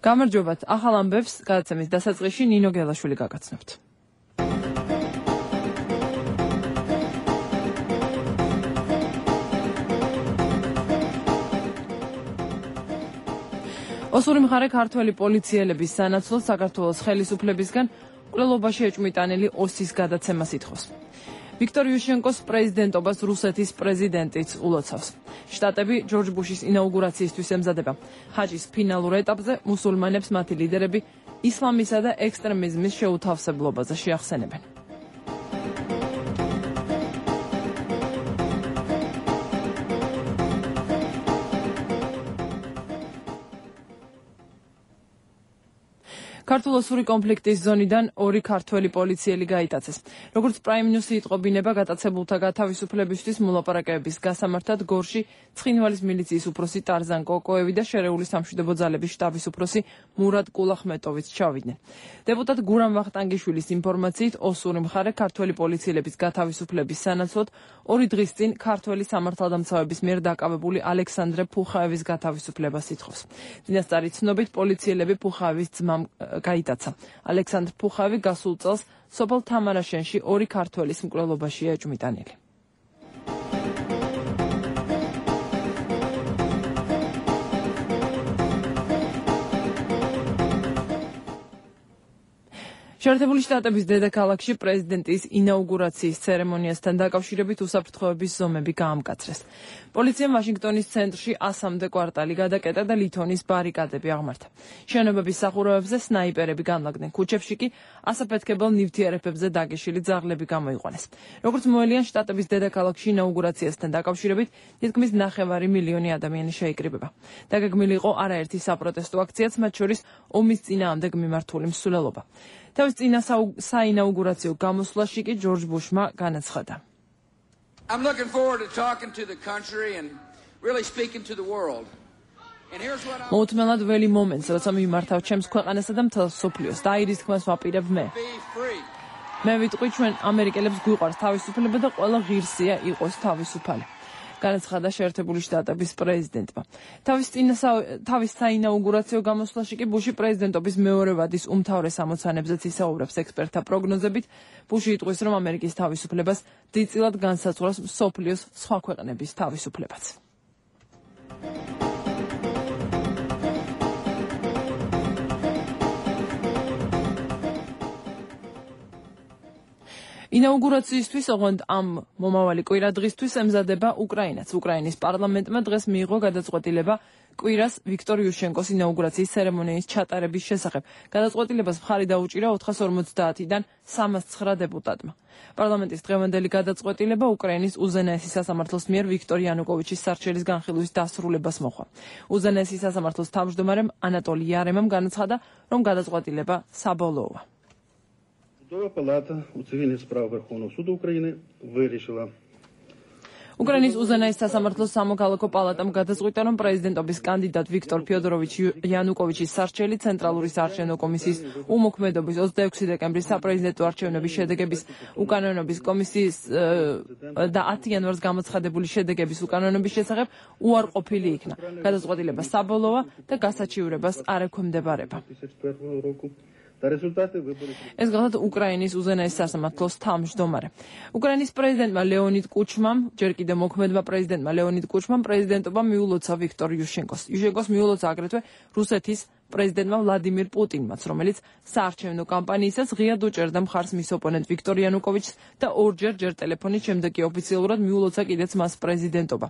გამარჯობათ, ახალ ამბებს გადაცემის დასაწყისში ნინო გელაშვილი გაგაცნობთ. ოსური მხარე ქართველი პოლიციელების სანაცვლოდ საქართველოს ხელისუფლებისგან მკვლელობაში ეჭვმიტანილი ოსის გადაცემას ითხოვს. ვიქტორ იუშენკოს პრეზიდენტობას რუსეთის პრეზიდენტიც ულოცავს. შტატები ჯორჯ ბუშის ინაუგურაციისთვის ემზადება. ჰაჯის ფინალურ ეტაპზე მუსულმანებს მათი ლიდერები ისლამისა და ექსტრემიზმის შეუთავსებლობაზე შეახსენებენ. ქართულ-ოსური კონფლიქტის ზონიდან ორი ქართველი პოლიციელი გაიტაცეს. როგორც პრაიმ ნიუსი იტყობინება, გატაცებულთა გათავისუფლებისთვის მოლაპარაკებების გასამართად გორში ცხინვალის მილიციის უფროსი ტარზან კოკოევი და შერეული სამშვიდობო ძალების შტაბის უფროსი მურად კულახმეტოვიც ჩავიდნენ. დეპუტატ გურამ ვახტანგიშვილის ინფორმაციით, ოსური მხარე ქართველი პოლიციელების გათავისუფლების სანაცვლოდ 2 დღის წინ ქართველი სამართალდამცავების მიერ დაკავებული ალექსანდრე ფუხაევის გათავისუფლებას ითხოვს. წინასწარი ცნობით, პოლიციელები ფუხაევის ძმამ გაიტაცა. ალექსანდრ ფუხაევი გასულ წელს სოფელ თამარაშენში 2 ქართველის მკვლელობაშია ეჭვმიტანილი. შეერთებული შტატების დედაქალაქში პრეზიდენტის ინაუგურაციის ცერემონიასთან დაკავშირებით უსაფრთხოების ზომები გაამკაცრეს. პოლიციამ ვაშინგტონის ცენტრში 100-მდე კვარტალი გადაკეტა და ლითონის ბარიკადები აღმართა. შენობების სახურავებზე სნაიპერები განლაგდნენ. ქუჩებში კი ასაფეთქებელ ნივთიერებებზე დაგეშილი ძაღლები გამოიყვანეს. როგორც მოელიან, შტატების დედაქალაქში ინაუგურაციასთან დაკავშირებით თითქმის 9 მილიონი ადამიანი შეიკრიბება. დაგეგმილი იყო არაერთი საპროტესტო აქციაც, მათ შორის ომის წინააღმდეგ მიმართული მსვლელობა. თავის წინა საინაუგურაციო გამოსვლაში კი ჯორჯ ბუშმა განაცხადა. I'm looking forward to talking to the country and really speaking to the world. And here's what I'm მოუთმელად ველი მომენტს, როცა მიმართავ ჩემს ქვეყანასა და მთელ მსოფლიოს და აირის თქმას ვაპირებ მე. მე ვიტყვი, ჩვენ ამერიკელებს გვიყვარს თავისუფლება და ყველა ღირსია იყოს თავისუფალი. განაცხადა შეერთებული შტატების პრეზიდენტმა. თავის საინაუგურაციო გამოსვლაში კი ბუში პრეზიდენტობის მეორე ვადის უმთავრეს ამოცანებზეც ისაუბრებს. ექსპერტთა პროგნოზებით, ბუში იტყვის, რომ ამერიკის თავისუფლებას დიდწილად განსაზღვრავს მსოფლიოს სხვა ქვეყნების თავისუფლებაც. ინაუგურაციისთვის, ოღონდ ამ მომავალი კვირა დღისთვის ემზადება უკრაინაც. უკრაინის პარლამენტმა დღეს მიიღო გადაწყვეტილება კვირას ვიქტორ იუშენკოს ინაუგურაციის ცერემონიის ჩატარების შესახებ. გადაწყვეტილებას მხარი დაუჭირა 450-დან 309 დეპუტატმა. პარლამენტის დღევანდელი გადაწყვეტილება უკრაინის უზენაესი სასამართლოს მიერ ვიქტორ იანუკოვიჩის სარჩელის განხილვის დასრულებას მოჰყვა. უზენაესი სასამართლოს თავმჯდომარემ ანატოლი იარემამ განაცხადა, რომ გადაწყვეტილება საბოლოოა. Судова палата у цивільних справ Верховного суду України вирішила. უკრაინის უზენაეს სასამართლოს სამოქალაქო პალატამ გადაწყვიტა, რომ პრეზიდენტობის კანდიდატ ვიქტორ ფიოდოროვიჩ იანუკოვიჩის სარჩელი ცენტრალური საარჩევნო კომისიის უმოქმედობის 26 დეკემბრის საპრეზიდენტო არჩევნების შედეგების უკანონობის კომისიის და 10 იანვარს გამოცხადებული შედეგების უკანონობის შესახებ უარყოფილი იქნა. გადაწყვეტილება საბოლოოა და გასაჩივრებას არ ექვემდებარება. ეს გახლავთ უკრაინის უზენაეს სასამართლოს თავმჯდომარე. უკრაინის პრეზიდენტმა ლეონიდ კუჩმამ, ჯერ კიდევ მოქმედმა პრეზიდენტმა ლეონიდ კუჩმამ პრეზიდენტობა მიულოცა ვიქტორ იუშენკოს. იუშენკოს მიულოცა აგრეთვე რუსეთის პრეზიდენტმა ვლადიმირ პუტინმაც, რომელიც საარჩევნო კამპანიისას ღიად უჭერდა მხარს მის ოპონენტ ვიქტორ იანუკოვიჩს და ორჯერ ტელეფონით, შემდეგ კი ოფიციალურად მიულოცა კიდეც მას პრეზიდენტობა.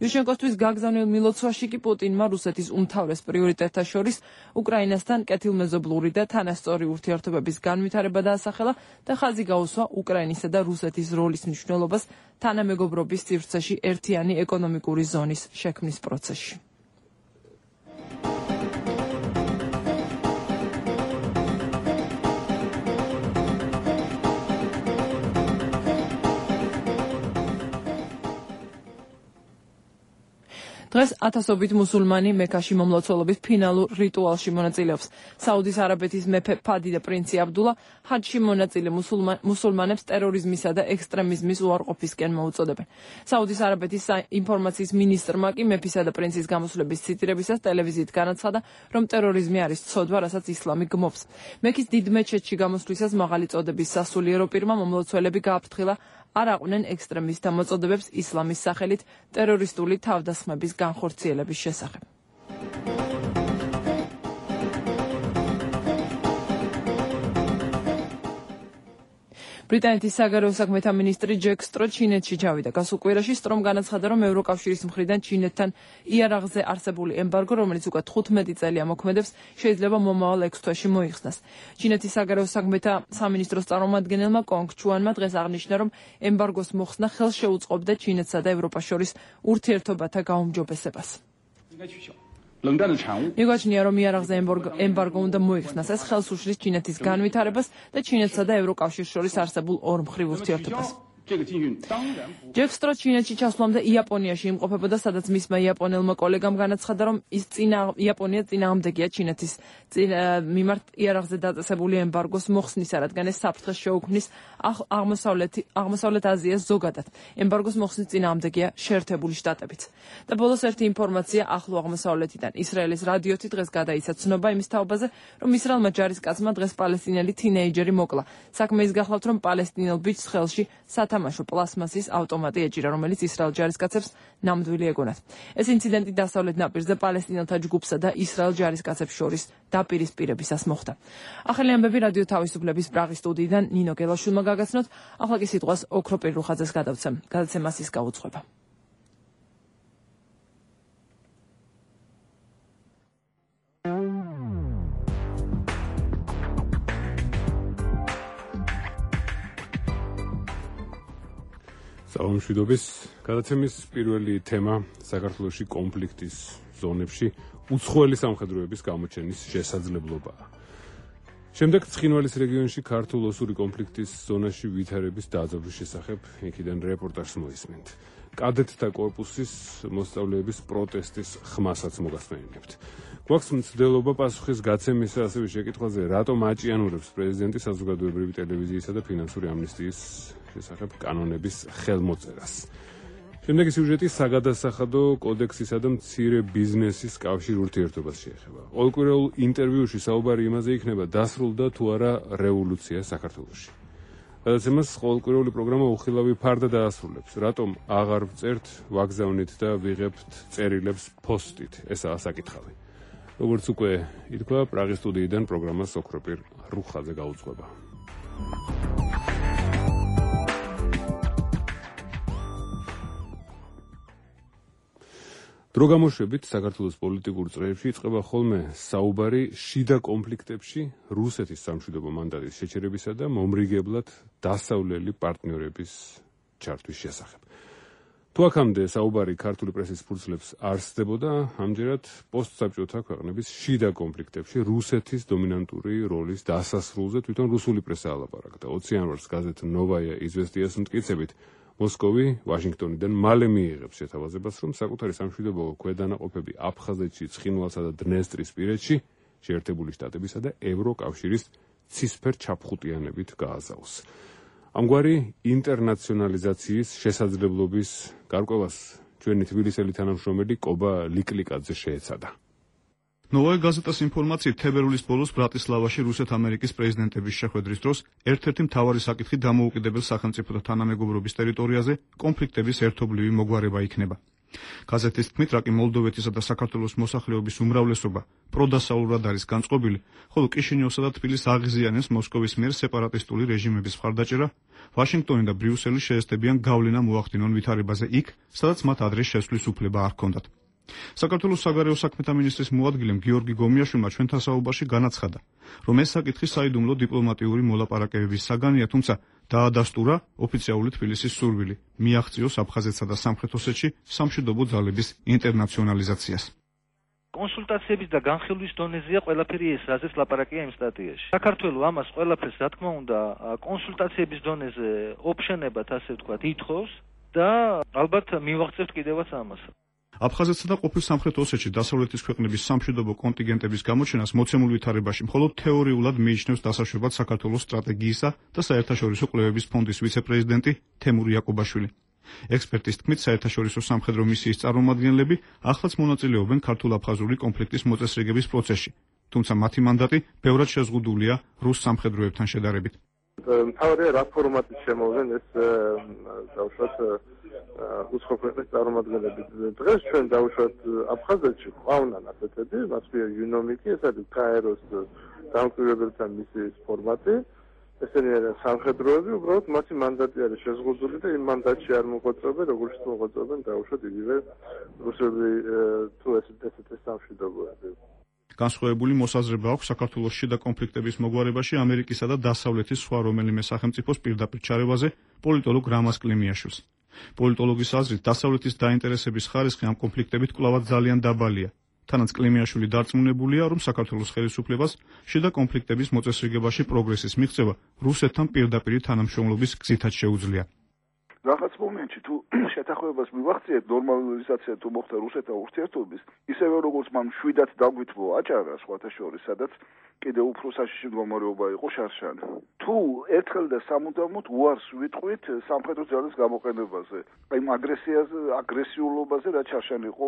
იუშენკოსთვის გაგზავნილ მილოცვაში კი პუტინმა რუსეთის უმთავრეს პრიორიტეტთა შორის უკრაინასთან კეთილმეზობლური და თანასწორი ურთიერთობების განვითარება დაასახელა და ხაზი გაუსვა უკრაინისა და რუსეთის როლის მნიშვნელობას თანამეგობრობის სივრცეში ერთიანი ეკონომიკური ზონის შექმნის პროცესში. დღეს ათასობით მუსულმანი მექაში მომლოცველობის ფინალურ რიტუალში მონაწილეობს. საუდის არაბეთის მეფე ფადი და პრინცი აბდულა ჰაჯში მონაწილე მუსულმანებს ტერორიზმისა და ექსტრემიზმის უარყოფისკენ მოუწოდებენ. საუდის არაბეთის ინფორმაციის მინისტრმა კი მეფისა და პრინცის გამოსვლების ციტირებისას ტელევიზიით განაცხადა, რომ ტერორიზმი არის ცოდვა, რასაც ისლამი გმობს. მექის დიდ მეჩეთში გამოსვლისას მაღალი წოდების სასულიერო პირმა მომლოცველები გააფრთხილა არ აყვნენ ექსტრემისტთა მოწოდებებს ისლამის სახელით ტერორისტული თავდასხმების განხორციელების შესახებ. ბრიტანეთის საგარეო საქმეთა მინისტრი ჯეკ სტრო ჩინეთში ჩავიდა. გასულ კვირაში სტრომ განაცხადა, რომ ევროკავშირის მხრიდან ჩინეთთან იარაღზე არსებული ემბარგო, რომელიც უკვე 15 წელია მოქმედებს, შეიძლება მომავალ 6 თვეში მოიხსნას. ჩინეთის საგარეო საქმეთა სამინისტროს წარმომადგენელმა კონგ ჩუანმა დღეს აღნიშნა, რომ ემბარგოს მოხსნა ხელს შეუწყობდა ჩინეთსა და ევროპას შორის ურთიერთობათა გაუმჯობესებას. მიგაჩნია, რომ იარაღზე ემბარგო უნდა მოიხსნას. ეს ხელს უშლის ჩინეთის განვითარებას და ჩინეთსა და ევროკავშირს შორის არსებულ ორმხრივ ურთიერთობას. ჯეკ სტრო ჩინეთში ჩასვლამდე იაპონიაში იმყოფებოდა, სადაც მისმა იაპონელმა კოლეგამ განაცხადა, რომ იაპონია წინააღმდეგია ჩინეთის მიმართ იარაღზე დაწესებული ემბარგოს მოხსნისა, რადგან ეს საფრთხეს შეუქმნის აღმოსავლეთ აზიას ზოგადად. ემბარგოს მოხსნის წინააღმდეგია შეერთებული შტატებიც. და ბოლოს ერთი ინფორმაცია ახლო აღმოსავლეთიდან. ისრაელის რადიოთი დღეს გადაიცა ცნობა იმის თაობაზე, რომ ისრაელმა ჯარისკაცმა დღეს პალესტინელი თინეიჯერი მოკლა. საქმე ის გახლავთ, რომ პალესტინელ ბიჭს ხელში სათამაშო პლასმასის ავტომატი ეჭირა, რომელიც ისრაელ ჯარისკაცებს ნამდვილი ეგონათ. ეს ინციდენტი დასავლეთ ნაპირზე პალესტინელთა ჯგუფსა და ისრაელ ჯარისკაცებს შორის დაპირისპირებისას მოხდა. ახალი ამბები რადიო თავისუფლების პრაღის სტუდიიდან ნინო გელაშვილმა გაგაცნოთ. ახლა კი სიტყვას ოქრო პირუხაძეს გადავცემ. გადაცემას ის გაუძღვება. საომშვიდობის გადაცემის პირველი თემა საქართველოში კონფლიქტის ზონებში უცხოელი სამხედროების გამოჩენის შესაძლებლობაა. შემდეგ ცხინვალის რეგიონში ქართულ-ოსური კონფლიქტის ზონაში ვითარების დაძაბვის შესახებ იქიდან რეპორტაჟს მოისმენთ. კადეტთა კორპუსის მოსწავლეების პროტესტის ხმასაც მოგასმენინებთ. გვაქვს მცდელობა პასუხის გაცემისა ასევე შეკითხვაზე, რატომ აჭიანურებს პრეზიდენტი საზოგადოებრივი ტელევიზიისა და ფინანსური ამნისტიის შესახებ კანონების ხელმოწერას. შემდეგი სიუჟეტი საგადასახადო კოდექსისა და მცირე ბიზნესის კავშირ ურთიერთობას შეეხება. ყოველკვირეულ ინტერვიუში საუბარი იმაზე იქნება, დასრულდა თუ არა რევოლუცია საქართველოში. გადაცემას ყოველკვირეული პროგრამა უხილავი ფარდა დაასრულებს. რატომ აღარ ვწერთ, ვაგზავნით და ვიღებთ წერილებს ფოსტით? ესაა საკითხავი. როგორც უკვე ითქვა, პრაღის სტუდიიდან პროგრამას ოქრო პირუხაძე გაუძღვება. დრო გამოშვებით საქართველოს პოლიტიკურ წრეებში იწყება ხოლმე საუბარი შიდა კონფლიქტებში რუსეთის სამშვიდობო მანდატის შეჩერებისა და მომრიგებლად დასავლელი პარტნიორების ჩართვის შესახებ. თუ აქამდე საუბარი ქართული პრესის ფურცლებს არსდებოდა, ამჯერად პოსტსაბჭოთა ქვეყნების შიდა კონფლიქტებში რუსეთის დომინანტური როლის დასასრულზე თვითონ რუსული პრესა ალაპარაკდა. 20 იანვარს გაზეთ ნოვაია იზვესტიას მტკიცებით, მოსკოვი ვაშინგტონიდან მალე მიიღებს შეთავაზებას, რომ საკუთარი სამშვიდობო ქვედანაყოფები აფხაზეთში, ცხინვალსა და დნესტრისპირეთში შეერთებული შტატებისა და ევროკავშირის ცისფერ ჩაფხუტიანებით გააზავს. ამგვარი ინტერნაციონალიზაციის შესაძლებლობის გარკვევას ჩვენი თბილისელი თანამშრომელი კობა ლიკლიკაძე შეეცადა. ნოვაია გაზეტას ინფორმაციით, თებერვლის ბოლოს ბრატისლავაში რუსეთ-ამერიკის პრეზიდენტების შეხვედრის დროს ერთ-ერთი მთავარი საკითხი დამოუკიდებელ სახელმწიფოთა თანამეგობრობის ტერიტორიაზე კონფლიქტების ერთობლივი მოგვარება იქნება. გაზეთის თქმით, რაკი მოლდოვეთისა და საქართველოს მოსახლეობის უმრავლესობა პროდასავლურად არის განწყობილი, ხოლო კიშინიოვსა და თბილისს აღიზიანებს მოსკოვის მიერ სეპარატისტული რეჟიმების მხარდაჭერა, ვაშინგტონი და ბრიუსელი შეესწებიან გავლენა მოახდინონ ვითარებაზე იქ, სადაც მათ ადრე შესვლის უფლება არ ჰქონდათ. საქართველოს საგარეო საქმეთა მინისტრის მოადგილემ გიორგი გომიაშვილმა ჩვენთან საუბარში განაცხადა, რომ ეს საკითხი საიდუმლო დიპლომატიური მოლაპარაკებების საგანია, თუმცა დაადასტურა ოფიციალური თბილისის სურვილი მიაღწიოს აფხაზეთსა და სამხრეთ ოსეთში სამშვიდობო ძალების ინტერნაციონალიზაციას. კონსულტაციების და განხილვის დონეზეა ყველაფერი ეს, რაზეც ლაპარაკია იმ სტატიაში. საქართველოს ამას ყველაფერს, რა თქმა უნდა, კონსულტაციების დონეზე ოფშენებად, ასე ვთქვათ, ითხოვს და ალბათ მივაღწევთ კიდევაც ამას. აფხაზეთსა და ყოფილ სამხრეთ ოსეთში დასავლეთის ქვეყნების სამშვიდობო კონტინგენტების გამოჩენას მოცემულ ვითარებაში მხოლოდ თეორიულად მიიჩნევს დასაშვებად საქართველოს სტრატეგიისა და საერთაშორისო კვლევების ფონდის ვიცე-პრეზიდენტი თემური იაკობაშვილი. ექსპერტის თქმით, საერთაშორისო სამხედრო მისიის წარმომადგენლები ახლაც მონაწილეობენ ქართულ-აფხაზური კონფლიქტის მოწესრიგების პროცესში, თუმცა მათი მანდატი ბევრად შეზღუდულია რუს სამხედროებთან შედარებით. მთავარია რა ფორმატით შემოვიდნენ ეს დავუშვათ უცხო ქვეყნის წარმომადგენლები. დღეს ჩვენ დავუშვათ აფხაზეთში ყავნან ასეთები, მათ ქვია იუნომიკი, ეს არის კაეროს დამკვირვებელთა მისიის ფორმატი. ესენი არიან სამხედროები, უბრალოდ მათი მანდატი არის შეზღუდული და იმ მანდატში არ მოღვაწეობენ, როგორც მოღვაწეობენ დავუშვათ იგივე რუსები თუ ესეთი სამშვიდობოები. განსხვავებული მოსაზრება აქვს საქართველოს შიდა კონფლიქტების მოგვარებაში ამერიკისა და დასავლეთის სხვა რომელიმე სახელმწიფოს პირდაპირ ჩარევაზე პოლიტოლოგ რამაზ კლიმიაშვილს. პოლიტოლოგის აზრით, დასავლეთის დაინტერესების ხარისხი ამ კონფლიქტებით კვლავად ძალიან დაბალია. თანაც კლიმიაშვილი დარწმუნებულია, რომ საქართველოს ხელისუფლებას შიდა კონფლიქტების მოწესრიგებაში პროგრესის მიღწევა რუსეთთან პირდაპირ თანამშრომლობის გზითაც შეუძლია. რაღაც მომენტში თუ შეთანხმებას მივახციეთ ნორმალიზაცია თუ მოხდა რუსეთთან ურთიერთობის, ისევე როგორც მან შვიდად დაგვიტბო აჭარა სხვათა შორის, სადაც კიდევ უფრო საშიში მდგომარეობა იყო შარშანი. თუ ერთხელ და სამუდამოდ უარს ვიტყვით სამხედრო ძალის გამოყენებაზე, აი აგრესიულობაზე, რაც შარშანი იყო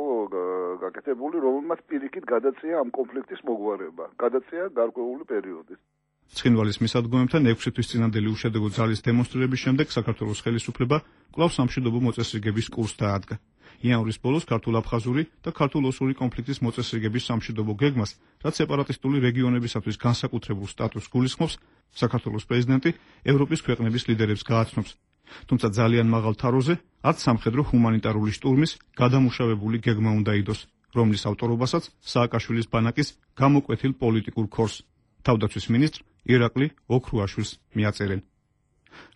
გაკეთებული, რომელმაც პირიქით გადაწია ამ კონფლიქტის მოგვარება, გადაწია გარკვეული პერიოდის. ცხინვალის მისადგომებთან 6 თვის წინანდელი უშედეგო ძალის დემონსტრირების შემდეგ საქართველოს ხელისუფლება კვლავ სამშვიდობო მოწესრიგების კურსს დაადგა. იანვრის ბოლოს ქართულ-აფხაზური და ქართულ-ოსური კონფლიქტის მოწესრიგების სამშვიდობო გეგმას, რაც სეპარატისტული რეგიონებისათვის განსაკუთრებულ სტატუსს გულისხმობს, საქართველოს პრეზიდენტი ევროპის ქვეყნების ლიდერებს გააცნობს. თუმცა ძალიან მაღალ თაროზე, არც სამხედრო ჰუმანიტარული შტურმის გადამუშავებული გეგმა უნდა იდოს, რომლის ავტორობასაც სააკაშვილის ბანაკის გამოკვეთილ პოლიტიკურ ქორს თავდაცვის მინისტრ ირაკლი ოქრუაშვილს მიაწერენ.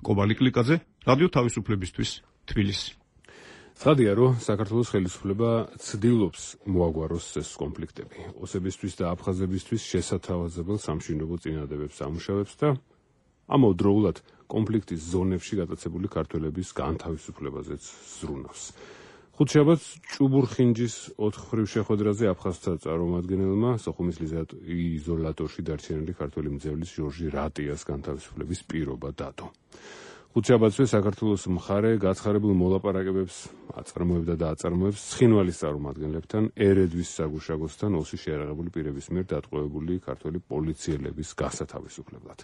კობალი კლიკაძე, რადიო თავისუფლებისთვის, თბილისი. ცხადია, რომ საქართველოს ხელისუფლება ცდილობს მოაგვაროს ეს კონფლიქტები. ოსებისთვის და აფხაზებისთვის შესათავაზებელ სამშვიდობო წინადადებებს ამუშავებს და ამავდროულად კონფლიქტის ზონებში გატაცებული ქართველების განთავისუფლებაზეც ზრუნავს. ხუთშაბათს ჭუბურხინჯის 4 ხრივ შეხვედრაზე აფხაზთა წარმომადგენელმა სოხუმის იზოლატორში დარჩენილი ქართველი მძევლის ჟორჟი რატიას განთავისუფლების პირობა დადო. ხუთშაბათსვე საქართველოს მხარე გაცხარებულ მოლაპარაკებებს აწარმოებდა და აწარმოებს ცხინვალის წარმომადგენლებთან, ერედვის საგუშაგოსთან ოსი შეიარაღებული პირების მიერ დატყვევებული ქართველი პოლიციელების გასათავისუფლებლად.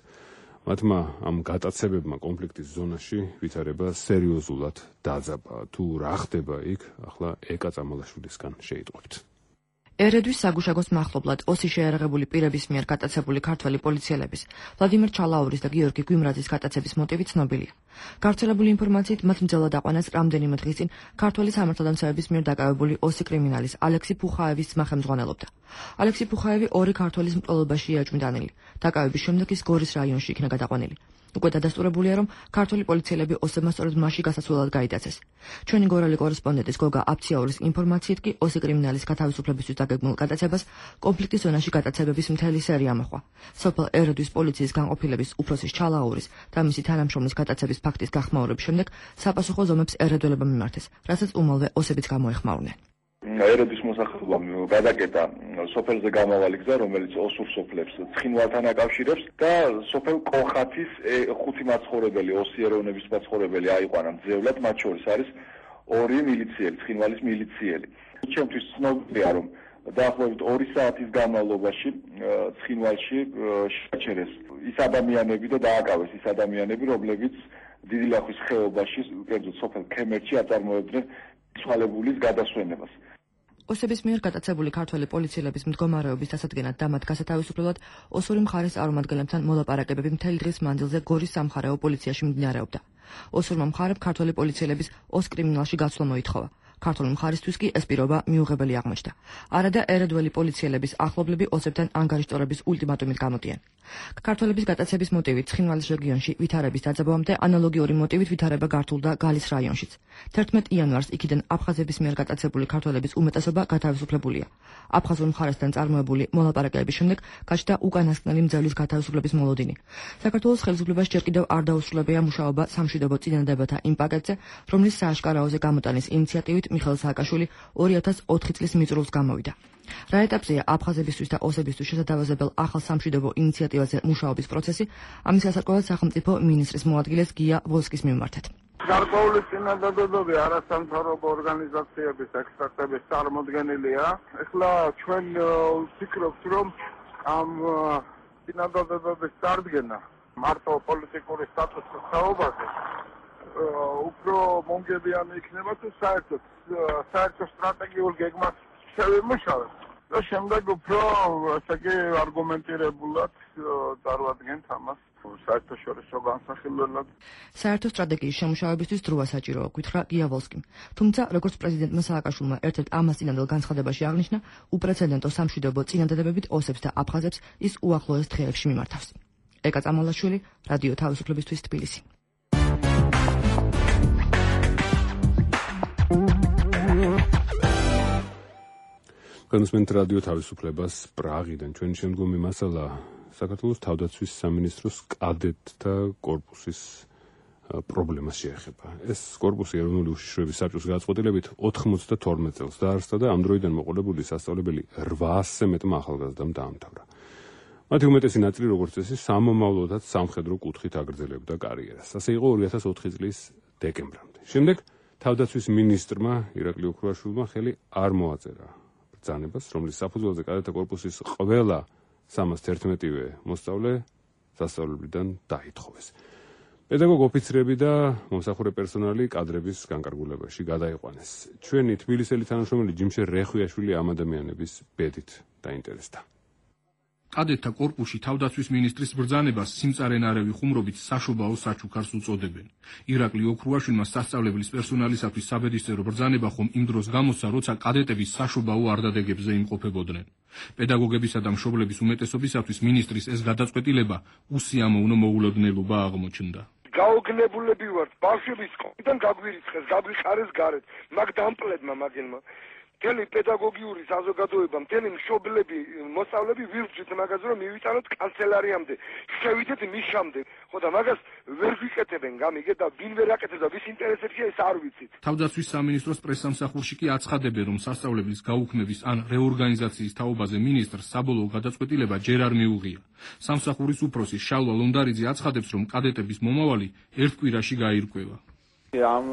მათმა ამ გატაცებებმა კონფლიქტის ზონაში ვითარება სერიოზულად დაძაბა. თუ რა ხდება იქ, ახლა ეკა წამალაშვილისგან შეიტყვებთ. ერედვის საგუშაგოს მახლობლად ოსი შეიარაღებული პირების მიერ გატაცებული ქართველი პოლიციელების ვლადიმერ ჩალაურის და გიორგი გვიმრაძის გატაცების მოტივი ცნობილია. გავრცელებული ინფორმაციით მათ მძევლად აყვანეს რამდენიმე დღის წინ ქართველი სამართალდამცავების მიერ დაკავებული ოსი კრიმინალის ალექსი ფუხაევის ძმა ხელმძღვანელობდა. ალექსი ფუხაევი ორი ქართველის მკვლელობაში იაჭმიდანილი. დაკავების შემდეგ ის გორის რაიონში იქნა გადაყვანილი. უკვე დადასტურებულია, რომ ქართველი პოლიციელები ოსებმა სწორედ მასში გასასვლელად გაიტაცეს. ჩვენი გორალი კორესპონდენტის გოგა აფციაურის ინფორმაციით კი ოსი კრიმინალის გათავისუფლებისთვის დაგეგმილ გატაცებას კონფლიქტის ზონაში გატაცებების მთელი სერია მოჰყვა. სოფელ ერედვის პოლიციის განყოფილების უფროსის ჩალაურის და მისი თანამშრომლის გატაცების ფაქტის გახმაურების შემდეგ საპასუხო ზომებს ერედველებმა მიმართეს, რასაც უმალვე ოსებიც გამოეხმაურნენ. ერედვის მოსახლეობამ გადაკეტა სოფელზე გამავალი გზა, რომელიც ოსურ სოფლებს ცხინვალთან აკავშირებს და სოფელ კოხათის 5 მაცხოვრებელი, ოსი ეროვნების მაცხოვრებელი აიყვანა მძევლად, მათ შორის არის 2 მილიციელი, ცხინვალის მილიციელი. ჩემთვის ცნობილია, რომ დაახლოებით 2 საათის განმავლობაში ცხინვალში შეაჩერეს ის ადამიანები და დააკავეს ის ადამიანები, რომლებიც დიდი ლახვის ხეობაში, კერძოდ სოფელ ქემერჩი აწარმოებდნენ ცვალებულის გადასვენებას. ოსების მიერ გატაცებული ქართველი პოლიციელების მდგომარეობის დასადგენად და მათ გასათავისუფლებლად ოსური მხარის წარმომადგენლებთან მოლაპარაკებები მთელი დღის მანძილზე გორის სამხარეო პოლიციაში მიმდინარეობდა. ოსურმა მხარემ ქართველი პოლიციელების ოს კრიმინალში გაცვლა მოითხოვა. ქართული მხარისთვის კი ეს პირობა მიუღებელი აღმოჩნდა. არადა ერედველი პოლიციელების ახლობლები ოსებთან ანგარიშტორების ულტიმატუმით გამოდიან. ქართველების გატაცების მოტივით ცხინვალის რეგიონში ვითარების დაძაბვამდე ანალოგიური მოტივით ვითარება გართულდა გალის რაიონშიც. 11 იანვარს იქიდან აფხაზების მიერ გატაცებული ქართველების უმეტესობა გათავისუფლებულია. აფხაზურ მხარესთან წარმოებული მოლაპარაკებების შემდეგ გაჩნდა უკანასკნელი მძევლის გათავისუფლების მოლოდინი. საქართველოს ხელისუფლებას ჯერ კიდევ არ დაუსრულებია მუშაობა სამშვიდობო წინადადებათა იმ პაკეტზე, რომლის სააშკარაოზე გამოტანის ინიციატივით მიხეილ სააკაშვილი 2004 წლის მიწურულს გამოვიდა. რა ეტაპზეა აფხაზებისთვის და ოსებისთვის შესათავაზებელ ახალ სამშვიდობო ინიციატივაზე მუშაობის პროცესი, ამის გასარკვევად სახელმწიფო მინისტრის მოადგილეს გია ვოლსკის მიმართეთ. გარკვეული წინადადებები არასამთავრობო ორგანიზაციების ექსპერტების წარმოდგენილია. ეხლა ჩვენ ვფიქრობთ, რომ ამ წინადადებების წარდგენა მარტო პოლიტიკური სტატუსის თაობაზე უფრო მომგებიანი იქნება თუ საერთო სტრატეგიულ გეგმას შევიმუშავებთ და შემდეგ უფრო ასე იგი არგუმენტირებულად წარვადგენთ ამას საერთაშორისო განსახილველად. საერთო სტრატეგიის შემუშავებისთვის დროა საჭიროა, გითხრა გია ვოლსკიმ. თუმცა, როგორც პრეზიდენტმა სააკაშვილმა ერთ-ერთ ამასწინებელ განცხადებაში აღნიშნა, უპრეცედენტო სამშვიდობო წინადადებებით ოსებს და აფხაზებს ის უახლოეს დღეებში მიმართავს. ეკა წამალაშვილი, რადიო თავისუფლებისთვის თბილისი. განსმენთ რადიო თავისუფლებას პრაღიდან. ჩვენი შემდგომი მასალა საქართველოს თავდაცვის სამინისტროს კადეტთა კორპუსის პრობლემას შეეხება. ეს კორპუსი ეროვნული უშიშროების საბჭოს გადაწყვეტილებით 92 წელს დაარსდა და ამ დროიდან მოყოლებული სასწავლებელი 800-ზე მეტმა ახალგაზრდამ დაამთავრა. მათი უმეტესი ნაწილი, როგორც წესი, სამომავლოდაც სამხედრო კუთხით აგრძელებდა კარიერას. ასე იყო 2004 წლის დეკემბრამდე. შემდეგ თავდაცვის მინისტრმა ირაკლი ოქრუაშვილმა ხელი არ მოაწერა ბრძანებას, რომლის საფუძველზე კადეტთა კორპუსის ყველა 311-ვე მოსწავლე სასწავლებლიდან დაითხოვეს. პედაგოგ ოფიცრები და მომსახურე პერსონალი კადრების განკარგულებაში გადაიყვანეს. ჩვენი თბილისელი თანამშრომელი ჯიმშე რეხვიაშვილი ამ ადამიანების ბედით დაინტერესდა. კადეტთა კორპუსში თავდაცვის მინისტრის ბრძანებას სიმწარენარევი ხუმრობით საშობაო საჩუქარს უწოდებენ. ირაკლი ოქრუაშვილმა სასწავლებლის პერსონალისათვის საბედისწერო ბრძანება ხომ იმ დროს გამოსცა, როცა კადეტების საშობაო არდადეგებზე იმყოფებოდნენ. პედაგოგებისა და მშობლების უმეტესობისათვის მინისტრის ეს გადაწყვეტილება უსიამოვნო მოულოდნელობა აღმოჩნდა. გაოგნებულები ვართ, ბავშვების სკოლიდან გაგვირიცხეს, გაგვიხარეს გარეთ, მაგ დამპლებმა მაგენმა. მთელი პედაგოგიური საზოგადოება, მთელი მშობლები, მოსწავლეები ვირჩით მაგაზე, რომ მივიტანოთ კანცელარიამდე, შევიდეთ მიშამდე. ხო და მაგას ვერ ვიკეთებენ, გამიგე და ვინ ვერ აკეთებს და ვის ინტერესებია ეს არ ვიცით. თავდაცვის სამინისტროს პრესსამსახურში კი აცხადებენ, რომ სასწავლებლის გაუქმების ან რეორგანიზაციის თაობაზე მინისტრს საბოლოო გადაწყვეტილება ჯერ არ მიუღია. სამსახურის უფროსი შალვა ლონდარიძე აცხადებს, რომ კადეტების მომავალი ერთ კვირაში გაირკვევა. ამ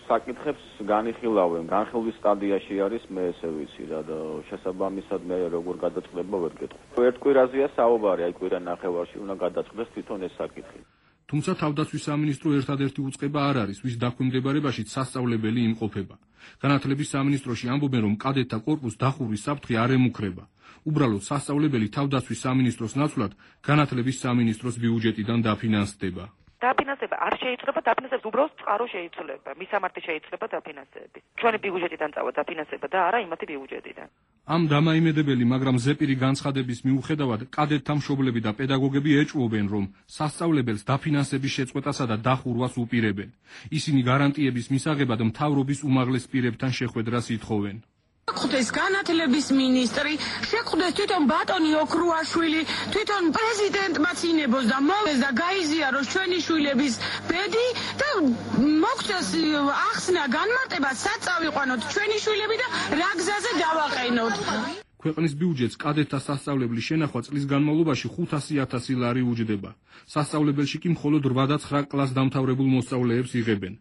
საკითხებს განიხილავენ, განხილვის სტადიაში არის, მე ესე ვიცი რა და შესაბამისად მე როგორ გადაწყდება ვერ გეტყვი. ერთ კვირაზეა საუბარი, აი კვირა ნახევარში უნდა გადაწყდეს თვითონ ეს საკითხი. თუმცა თავდაცვის სამინისტრო ერთადერთი უწყება არ არის, ვის დაქვემდებარებაშიც სასწავლებელი იმყოფება. განათლების სამინისტროში ამბობენ, რომ კადეტთა კორპუსს დახურვის საფრთხე არ ემუქრება. უბრალოდ სასწავლებელი თავდაცვის სამინისტროს ნაცვლად განათლების სამინისტროს ბიუჯეტიდან დაფინანსდება. დაფინანსება არ შეიძლება, დაფინანსებას უბრალოდ წყარო შეიძლება. მისამართი შეიძლება დაფინანსების. ჩვენი ბიუჯეტიდან წავა დაფინანსება და არა იმათი ბიუჯეტიდან. ამ დამაიმედებელი, მაგრამ ზეპირი განცხადების მიუხედავად, კადეტთა მშობლები და პედაგოგები ეჭვობენ, რომ სასწავლებელს დაფინანსების შეწყვეტასა და დახურვას უპირებენ. ისინი გარანტიების მისაღებად მთავრობის უმაღლეს პირებთან შეხვედრას ითხოვენ. შეხვდეს განათლების მინისტრი, შეხვდეს თვითონ ბატონი ოქრუაშვილი, თვითონ პრეზიდენტმაც ინებოს და მოვეს და გაიზიაროს ჩვენი შვილების ბედი და მოგწეს ახსნა განმარტება, სად წავიყვანოთ ჩვენი შვილები და რა გზაზე დავაყენოთ. ქვეყნის ბიუჯეტს კადეტთა სასწავლებლის შენახვა წლის განმავლობაში 500.000 ლარი უჯდება. სასწავლებელში კი მხოლოდ 8 და 9 კლასს დამთავრებულ მოსწავლეებს იღებენ.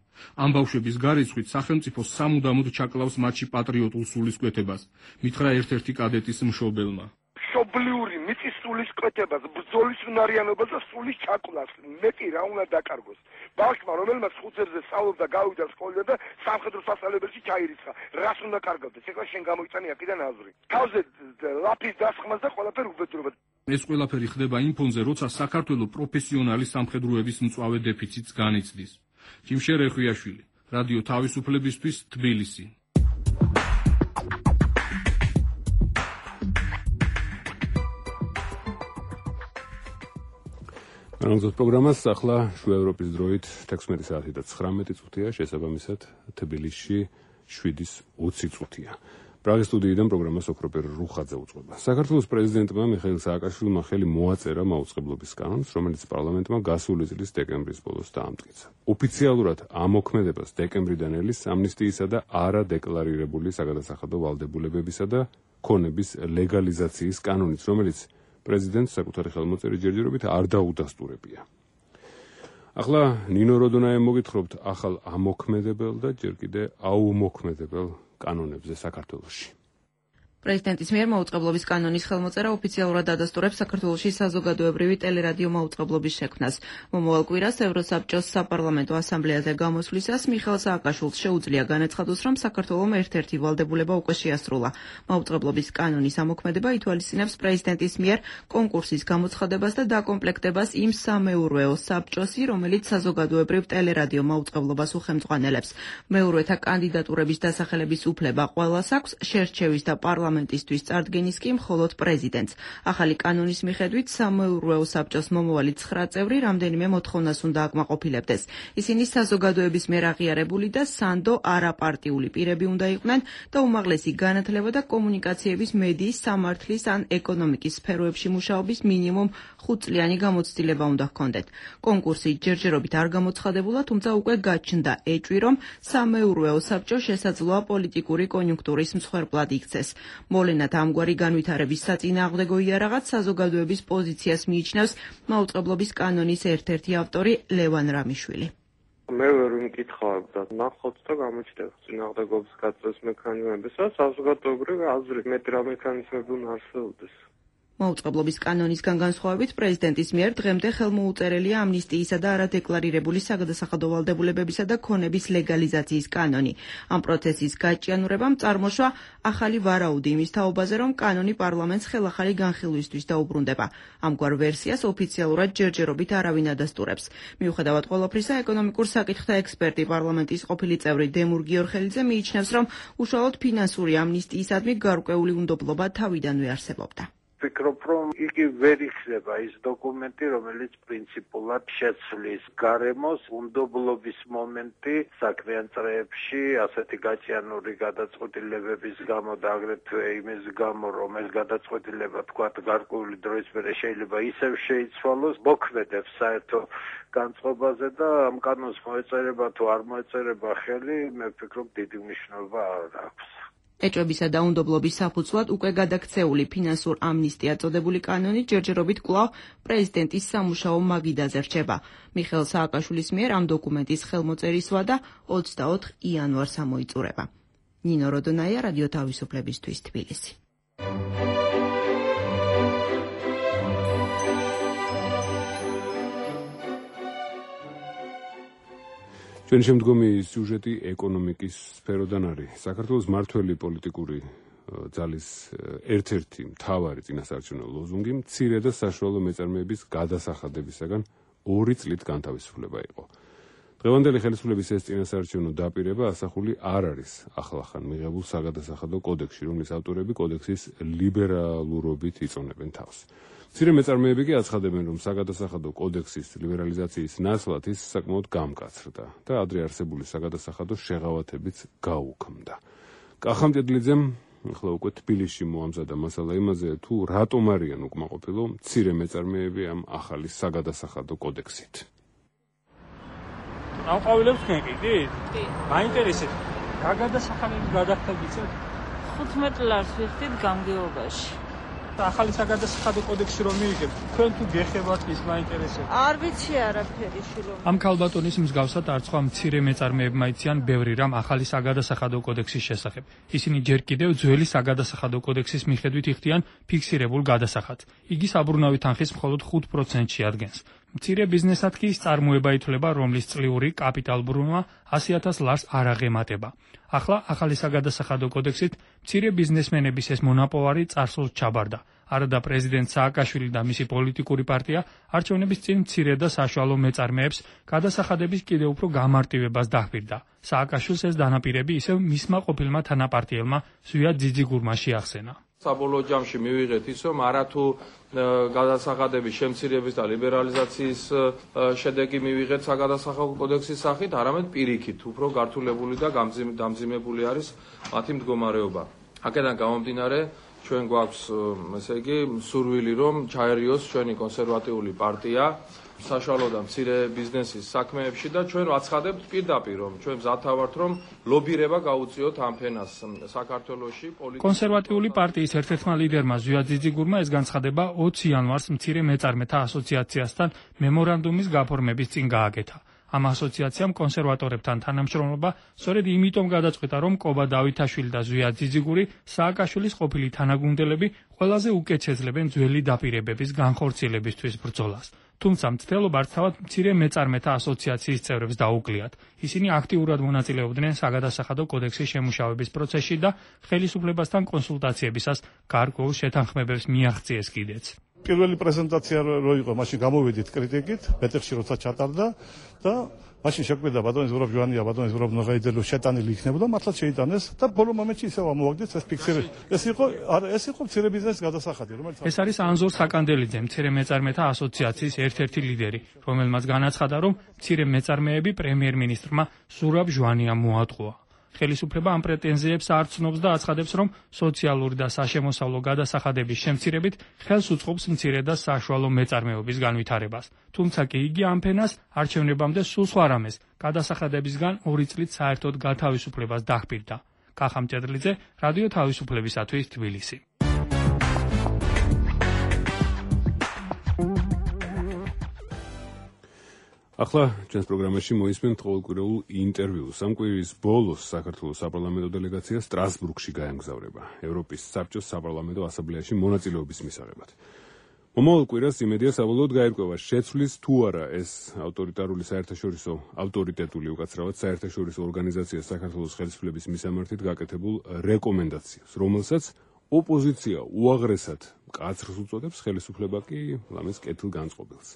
ამ ბავშვების გარიცხვით სახელმწიფო სამუდამოდ ჩაკლავს მათში პატრიოტულ სულისკვეთებას, მითხრა ერთ-ერთი კადეტის მშობელმა. მშობლიური მიწის სულისკვეთებას, ბრძოლის უნარიანობას და სულის ჩაკლავს. მეტი რა უნდა დაკარგოს. ბავშვმა, რომელმაც 5 წელზე სწავლობდა, გავიდა სკოლიდან და სამხედრო სასწავლებელში ჩაირიცხა. რას უნდა კარგავდეს? ეხლა შენ გამოიწანი აქედან აზრი. თავზე ლაფის დასხმას და ყველაფერი უბედურება. ეს ყველაფერი ხდება იმ ფონზე, როცა საქართველოს პროფესიონალი სამხედროების მწვავე დეფიციტს განიცდის. ჯიმშე რეხვიაშვილი, რადიო თავისუფლებისთვის, თბილისი. განაგრძობთ პროგრამას ახლა შუა ევროპის დროით 16 საათი და 19 წუთია, შესაბამისად თბილისში 7:20 წუთია. პრაღის სტუდიიდან პროგრამას ოქროპერ რუხაძე უწყობა. საქართველოს პრეზიდენტმა მიხეილ სააკაშვილმა ხელი მოაწერა მაუწყებლობის კანონს, რომელიც პარლამენტმა გასული წლის დეკემბრის ბოლოს დაამტკიცა. ოფიციალურად ამოქმედებას დეკემბრიდან ელის ამნისტიისა და არადეკლარირებული საგადასახადო ვალდებულებებისა და ქონების ლეგალიზაციის კანონიც, რომელიც პრეზიდენტს საკუთარი ხელმოწერის ჯერჯერობით არ დაუდასტურებია. ახლა ნინო როდონაემ მოგითხრობთ ახალ ამოქმედებელ და ჯერ კიდე აუმოქმედებელ კანონებზე საქართველოში. პრეზიდენტის მიერ მაუწყებლობის კანონის ხელმოწერა ოფიციალურად ადასტურებს საქართველოში საზოგადოებრივი ტელერადიო მაუწყებლობის შექმნას. მომავალ კვირას ევროსაბჭოს საპარლამენტო ასამბლეაზე გამოსვლისას მიხეილ სააკაშვილს შეუძლია განაცხადოს, რომ საქართველომ ერთ-ერთი ვალდებულება უკვე შეასრულა. მაუწყებლობის კანონის ამოქმედება ითვალისწინებს პრეზიდენტის მიერ კონკურსის გამოცხადებას და დაკომპლექტებას იმ სამეურვეო საბჭოსი, რომელიც საზოგადოებრივ ტელერადიო მაუწყებლობას უხელმძღვანელებს. მეურვეთა კანდიდატურების დასახელების უფლება ყველას აქვს, შერჩევის და პარლამენტისთვის წარდგენის კი მხოლოდ პრეზიდენტს. ახალი კანონის მიხედვით სამეურვეო საბჭოს მომავალი 9 წევრი რამდენიმე მოთხოვნას უნდა აკმაყოფილებდეს. ისინი საზოგადოების მიერ აღიარებული და სანდო არაპარტიული პირები უნდა იყვნენ და უმაღლესი განათლება და კომუნიკაციების, მედიის, სამართლის ან ეკონომიკის სფეროებში მუშაობის მინიმუმ 5 წლიანი გამოცდილება უნდა ჰქონდეთ. კონკურსი ჯერჯერობით არ გამოცხადებულა, თუმცა უკვე გაჩნდა ეჭვი, რომ სამეურვეო საბჭო შესაძლოა პოლიტიკური კონიუნქტურის მსხვერპლად იქცეს. მოვლენად ამგვარი განვითარების საწინააღმდეგო იარაღად საზოგადოების პოზიციას მიიჩნევს მაუწყებლობის კანონის ერთ-ერთი ავტორი ლევან რამიშვილი. მე ვერ ვიმკითხავებ და ნახოთ და გამოჩნდება წინააღმდეგობის გაწევს მექანიზმები, საზოგადოებრივი აზრი მეტი რა მექანიზმები უნდა არსებობდეს. მაუწყებლობის კანონისგან განსხვავებით პრეზიდენტის მიერ დღემდე ხელმოუწერელია ამნისტიისა და არადეკლარირებული საგადასახადო ვალდებულებებისა და ქონების ლეგალიზაციის კანონი. ამ პროცესის გაჭიანურებამ წარმოშვა ახალი ვარაუდი იმის თაობაზე, რომ კანონი პარლამენტს ხელახალი განხილვისთვის დაუბრუნდება. ამგვარ ვერსიას ოფიციალურად ჯერჯერობით არავინ ადასტურებს. მიუხედავად ყველაფრისა, ეკონომიკურ საკითხთა ექსპერტი პარლამენტის ყოფილი წევრი დემურ გიორხელიძე მიიჩნევს, რომ უშუალოდ ფინანსური ამნისტიისადმი გარკვეული უნდობლობა თავიდანვე არსებობდა. ვფიქრობ, რომ იგი ვერ იხსნება ის დოკუმენტი, რომელიც პრინციპულად შეცვლის გარემოს უნდობლობის მომენტი საქმიან წრეებში, ასეთი გაჭიანური გადაწყვეტილებების გამო და აგრეთვე იმის გამო, რომ ეს გადაწყვეტილება თქვათ გარკვეული დროის მერე შეიძლება ისევ შეიცვალოს, მოქმედებს საერთო განწყობაზე და ამ კანონს მოეწერება თუ არ მოეწერება ხელი, მე ვფიქრობ, დიდი მნიშვნელობა არ აქვს. ეჭვებისა და უნდობლობის საფუძვლად უკვე გადაქცეული ფინანსურ ამნისტია წოდებული კანონი ჯერჯერობით კვლავ პრეზიდენტის სამუშაო მაგიდაზე რჩება. მიხეილ სააკაშვილის მიერ ამ დოკუმენტის ხელმოწერის ვადა 24 იანვარს ამოიწურება. ნინო როდონაია, რადიო თავისუფლებისთვის, თბილისი. ჩვენი შემდგომი სიუჟეტი ეკონომიკის სფეროდან არის. საქართველოს მართველი პოლიტიკური ძალის ერთ-ერთი მთავარი წინასაარჩევნო ლოზუნგი მცირე და საშუალო მეწარმეების გადასახადებისაგან 2 წლით განთავისუფლება იყო. დღევანდელი ხელისუფლების ეს წინასაარჩევნო დაპირება ასახული არ არის ახლახან მიღებულ საგადასახადო კოდექსში, რომლის ავტორები კოდექსის ლიბერალურობით იწონებენ თავს. მცირე მეწარმეები კი აცხადებენ, რომ საგადასახადო კოდექსის ლიბერალიზაციის ნაცვლად ის საკმაოდ გამკაცრდა და ადრე არსებული საგადასახადო შეღავათებიც გაუქმდა. კახამ ჭედლიძემ ახლა უკვე თბილისში მოამზადა მასალა იმაზე, თუ რატომ არიან უკმაყოფილო მცირე მეწარმეები ამ ახალი საგადასახადო კოდექსით. ამყავილებს გეკიდით? კი. მაინტერესებს რა გადასახადები გადახდებიცეთ? 15 ლარს ვიხდით გამგეობაში. ახალი საგადასახადო კოდექსი რომ მიიღებთ, თქვენ თუ გეხებათ ის მაინტერესებს? არ ვიცი არაფერი შილო. ამ ქალბატონის მსგავსად არც სხვა მცირე მეწარმეებმა იციან ბევრი რამ ახალი საგადასახადო კოდექსის შესახებ. ისინი ჯერ კიდევ ძველი საგადასახადო კოდექსის მიხედვით იხდიან ფიქსირებულ გადასახადს. იგი საბრუნავი თანხის მხოლოდ 5%-ში ადგენს. მცირე ბიზნესად კი ის წარმოება ითვლება, რომლის წლიური კაპიტალბრუნვა 100,000 ლარს არ აღემატება. ახლა ახალი საგადასახადო კოდექსით მცირე ბიზნესმენების ეს მონაპოვარი წარსულს ჩაბარდა. არადა პრეზიდენტ სააკაშვილი და მისი პოლიტიკური პარტია არჩევნების წინ მცირე და საშუალო მეწარმეებს გადასახადების კიდევ უფრო გამარტივებას დაჰპირდა. სააკაშვილს ეს დანაპირები ისევ მისმა ყოფილმა თანაპარტიელმა ზვიად ძიძიგურმა შეახსენა. საბოლოო ჯამში მივიღეთ ის, რომ არათუ გადასახადების შემცირების და ლიბერალიზაციის შედეგი მივიღეთ საგადასახადო კოდექსის სახით, არამედ პირიქით, უფრო გართულებული და დამძიმებული არის მათი მდგომარეობა. აქედან გამომდინარე, ჩვენ გვაქვს, ესე იგი, სურვილი, რომ ჩაერიოს ჩვენი კონსერვატიული პარტია საშუალო და მცირე ბიზნესის საქმეებში და ჩვენ ვაცხადებთ პირდაპირ, რომ ჩვენ მზათა ვართ, რომ ლობირება გაუწიოთ ამ ფენას საქართველოში. კონსერვატიული პარტიის ერთ-ერთმა ლიდერმა ზვიად ძიძიგურმა ეს განცხადება 20 იანვარს მცირე მეწარმეთა ასოციაციასთან მემორანდუმის გაფორმების წინ გააკეთა. ამ ასოციაციამ კონსერვატორებთან თანამშრომლობა სწორედ იმიტომ გადაწყვეტა, რომ კობა დავითაშვილი და ზვიად ძიძიგური სააკაშვილის ყოფილი თანაგუნდელები ყველაზე უკეთ შეძლებენ ძველი დაპირებების განხორციელებისთვის ბრძოლას. თუმცა მცდელობა თავად მცირე მეწარმეთა ასოციაციის წევრებს დაუკვლიათ. ისინი აქტიურად მონაწილეობდნენ საგადასახადო კოდექსის შემუშავების პროცესში და ხელისუფლებასთან კონსულტაციებისას გარკვეულ შეთანხმებებს მიაღწიეს კიდეც. პირველი პრეზენტაცია რო იყო, მაშინ გამოვედით კრიტიკით, ბეთეხში როცა ჩატარდა და მაშინ შეგვიდა ბატონი ზურაბ ჟვანია, ბატონი ზურაბ ნოღაიძე შეტანილი იქნებოდა, მართლაც შეიტანეს და ბოლო მომენტში ისევ ამოვაგდეთ ეს ფიქსირება. ეს იყო მცირე ბიზნესის გადასახადი, რომელიც ეს არის ანზორ საკანდელიძე, მცირე მეწარმეთა ასოციაციის ერთ-ერთი ლიდერი, რომელმაც განაცხადა, რომ მცირე მეწარმეები პრემიერ-მინისტრმა ზურაბ ჟვანიამ მოატყუა. ხელისუფლება ამ პრეტენზიებს არ ცნობს და აცხადებს, რომ სოციალური და საშემოსავლო გადასახადების შემცირებით ხელს უწყობს მცირე და საშუალო მეწარმეობის განვითარებას. თუმცა კი იგი ამ ფენას არჩევნებამდე სულ სხვა რამეს, გადასახადებისგან 2 წლით საერთოდ გათავისუფლებას დაჰპირდა. კახა მჭედლიძე, რადიო თავისუფლებისათვის თბილისი. ახლა ჩვენს პროგრამაში მოისმენთ ყოველკვირეულ ინტერვიუს. ამ კვირის ბოლოს საქართველოს საპარლამენტო დელეგაცია სტრასბურგში გაემგზავრება ევროპის საბჭოს საპარლამენტო ასამბლეაში მონაწილეობის მისაღებად. მომავალ კვირას იმედია საბოლოოდ გაირკვევა შეცვლის თუ არა ეს ავტორიტარული საერთაშორისო ავტორიტეტული უკაცრავად საერთაშორისო ორგანიზაცია საქართველოს ხელისუფლების მისამართით გაკეთებულ რეკომენდაციას, რომელსაც ოპოზიცია უაღრესად მკაცრს უწოდებს, ხელისუფლება კი ლამეს კეთილგანწყობილს.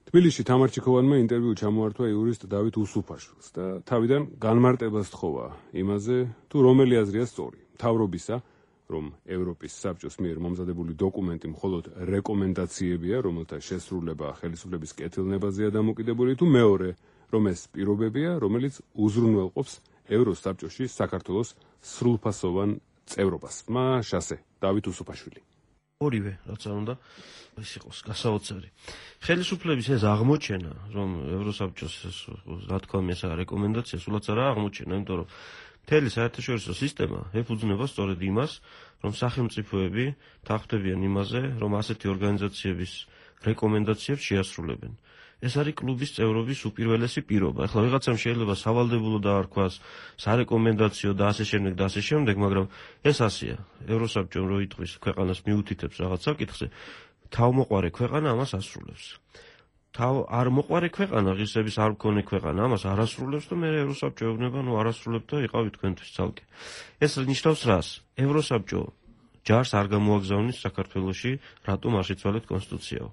თბილისში თამარ ჩიქოვანმა ინტერვიუ ჩამოართვა იურისტ დავით უსუფაშვილს და თავიდან განმარტებას თხოვა იმაზე, თუ რომელი აზრია სწორი, მთავრობისა, რომ ევროპის საბჭოს მიერ მომზადებული დოკუმენტი მხოლოდ რეკომენდაციებია, რომელთა შესრულება ხელისუფლების კეთილნებაზეა დამოკიდებული, თუ მეორე, რომ ეს პირობებია, რომელიც უზრუნველყოფს ევროსაბჭოში საქართველოს სრულფასოვან წევრობას. შასე დავით უსუფაშვილი. ორივე, რაც არ უნდა ეს იყოს გასაოცარი. ხელისუფლების ეს აღმოჩენა, რომ ევროსაბჭოს რა თქმა უნდა რეკომენდაცია სულაც არა აღმოჩენა, იმიტომ რომ მთელი საერთაშორისო სისტემა ეფუძნება სწორედ იმას, რომ სახელმწიფოები თანხმდებიან იმაზე, რომ ასეთი ორგანიზაციების რეკომენდაციებს შეასრულებენ. ეს არის კლუბის წევრობის უპირველესი პირობა. ახლა ვიღაცამ შეიძლება სავალდებულო დაარქვას, სარეკომენდაციო და ასე შემდეგ, მაგრამ ეს ასეა. ევროსაბჭომ რო იტყვის ქვეყანას მიუთითებს რაღაც საკითხზე, თავმოყარე ქვეყანა ამას ასრულებს. არ მოყარე ქვეყანა, ღირსების არ მქონე ქვეყანა ამას არ ასრულებს და მე ევროსაბჭო ეუბნება, არასრულებ და იყავით თქვენთვის ცალკე. ეს ნიშნავს რას? ევროსაბჭო ჯარს არ გამოაგზავნის საქართველოში, რატომ არ შეცვალეთ კონსტიტუციაო.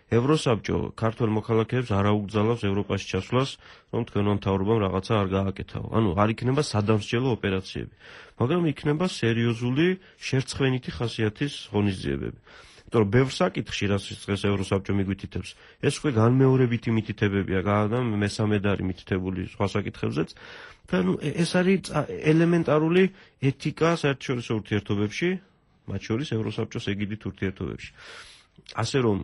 ევროსაბჭო ქართველ მოქალაქეებს არ აუგზავნებს ევროპაში ჩასვლას, რომ თქვენმა მთავრობამ რაღაცა არ გააკეთაო. არ იქნება სადამსჯელო ოპერაციები, მაგრამ იქნება სერიოზული შერცხვენითი ხასიათის ღონისძიებები. იმიტომ რომ ბევრ საკითხში, რაც დღეს ევროსაბჭო მიგვითითებს, ეს უკვე განმეორებითი მითითებებია, მესამედ არის მითითებული სხვა საკითხებზეც. და ეს არის ელემენტარული ეთიკა საერთაშორისო ურთიერთობებში, მათ შორის ევროსაბჭოს ეგიდით ურთიერთობებში. ასე რომ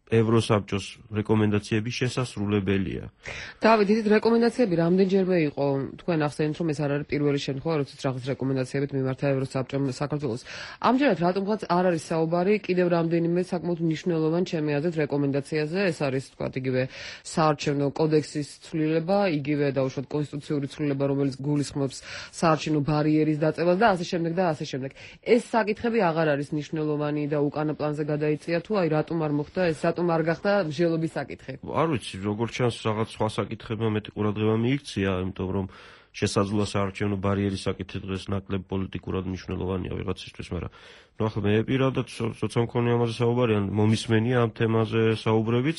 ევროსაბჭოს რეკომენდაციები შესასრულებელია. დავით, ისეთ რეკომენდაციები რამდენჯერმე იყო, თქვენ ახსენეთ, რომ ეს არ არის პირველი შემთხვევა, როდესაც რაღაც რეკომენდაციებით მიმართა ევროსაბჭომ საქართველოს. ამჯერად რატომღაც არ არის საუბარი კიდევ რამდენიმე საკმაოდ მნიშვნელოვან ჩემი აზრით რეკომენდაციაზე, ეს არის თქვა იგივე საარჩევნო კოდექსის ცვლილება, იგივე დაუშვათ კონსტიტუციური ცვლილება, რომელიც გულისხმობს საარჩევნო ბარიერის დაწევას და ასე შემდეგ და ასე შემდეგ. ეს საკითხები აღარ არის მნიშვნელოვანი და უკანა პლანზე გადაიწია თუ აი რატომ არ მოხდა ეს არ გახდა მსჯელობის საკითხი. არ ვიცი, როგორც ჩანს, რაღაც სხვა საკითხებმა მეტი ყურადღება მიიქცია, იმიტომ რომ შესაძლოა საარჩევნო ბარიერის საკითხი დღეს ნაკლებ პოლიტიკურად მნიშვნელოვანია ვიღაცისთვის, მაგრამ ახლა მე პირადად როცა მქონია ამაზე საუბარი, ან მომისმენია ამ თემაზე საუბრებიც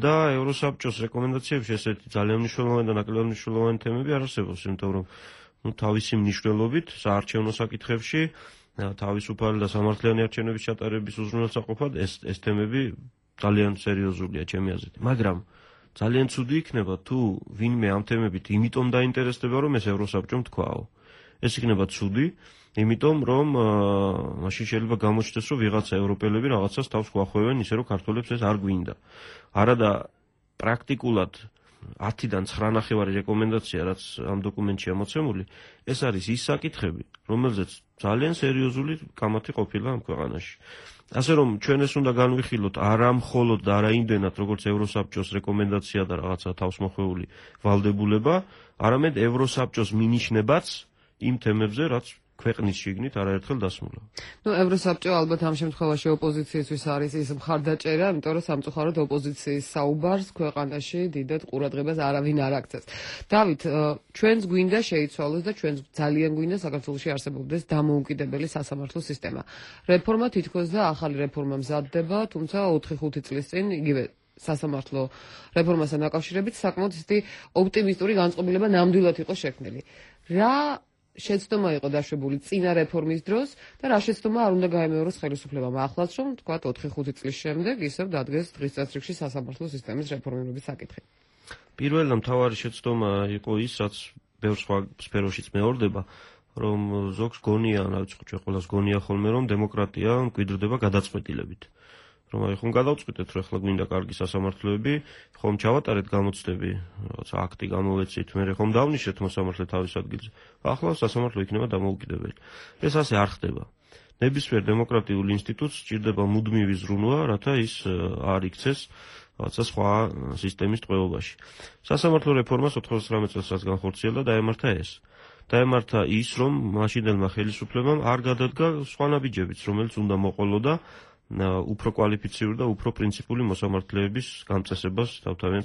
და ევროსაბჭოს რეკომენდაციებში ესეთი ძალიან მნიშვნელოვანი და ნაკლებ მნიშვნელოვანი თემები არ არსებობს, იმიტომ რომ თავისი მნიშვნელობით საარჩევნო საკითხებში თავისუფალი და სამართლიანი არჩევნების ჩატარების უზრუნველსაყოფად ეს თემები ძალიან სერიოზულია ჩემი აზრით. მაგრამ ძალიან ცუდი იქნება თუ ვინმე ამ თემებით იმიტომ დაინტერესდება, რომ ეს ევროსაბჭომ თქვაო. ეს იქნება ცუდი, იმიტომ რომ მაშინ შეიძლება გამოჩნდეს, რომ ვიღაცა ევროპელები რაღაცას თავს გვახვევენ, ისე რომ ქართველებს ეს არ გვინდა. არადა პრაქტიკულად 10-დან 9.5 რეკომენდაცია, რაც ამ დოკუმენტშია მოცემული, ეს არის ის საკითხები, რომელზეც ძალიან სერიოზული კამათი ყოფილა ამ ქვეყანაში. ასე რომ ჩვენ ეს უნდა განვიხილოთ არა მხოლოდ და არა იმდენად, როგორც ევროსაბჭოს რეკომენდაცია და რაღაცა თავსმოხვეული ვალდებულება, არამედ ევროსაბჭოს მინიშნებაც იმ თემებზე, რაც ქვეყნის შიგნით არაერთხელ დასმულა. ევროსაბჭო ალბათ ამ შემთხვევაში ოპოზიციისთვის არის ის მხარდაჭერა, იმიტომ რომ სამწუხაროდ ოპოზიციის საუბარს ქვეყანაში დიდად ყურადღებას არავინ არ აქცევს. დავით, ჩვენს გვინდა შეიცვალოს და ჩვენს ძალიან გვინდა საქართველოში არსებობდეს დამოუკიდებელი სასამართლო სისტემა. რეფორმა თითქოს და ახალი რეფორმა მზადდება, თუმცა 4-5 წლის წინ იგივე სასამართლო რეფორმასთან დაკავშირებით საკმაოდ ისეთი ოპტიმისტური განწყობილება ნამდვილად იყო შექმნილი. რა შეცდომა იყო დაშვებული წინა რეფორმის დროს და რა შეცდომა არ უნდა გაემეოროს ხელისუფლებამ ახლაც, რომ თქვა 4-5 წლის შემდეგ ისევ დადგეს დღის წესრიგში სასამართლო სისტემის რეფორმირების საკითხი. პირველ და მთავარი შეცდომა იყო ის, რაც ბევრ სხვა სფეროშიც მეორდება, რომ ზოგს გონია, რა ვიცი, ჩვენ ყველას გონია ხოლმე, რომ დემოკრატია მკვიდრდება გადაწყვეტილებით. რომ აი ხომ გადავწყვიტეთ, რომ ახლა გვინდა კარგი სასამართლოები, ხომ ჩავატარეთ გამოცდები, რაღაცა აქტი გამოვეცით, მე ხომ დავნიშნეთ მოსამართლე თავის ადგილზე. ახლა სასამართლო იქნება დამოუკიდებელი. ეს ასე არ ხდება. ნებისმიერ დემოკრატიულ ინსტიტუტს სჭირდება მუდმივი ზრუნვა, რათა ის არ იქცეს რაღაცა სხვა სისტემის ტყვეობაში. სასამართლო რეფორმას 99 წელს განხორციელდა და დაემართა ეს. დაემართა ის, რომ მაშინდელმა ხელისუფლებამ არ გადადგა სხვა ნაბიჯებიც, რომელიც უნდა მოყოლოდა უფრო კვალიფიციური და უფრო პრინციპული მოსამართლეების გამწესებას თავთავიან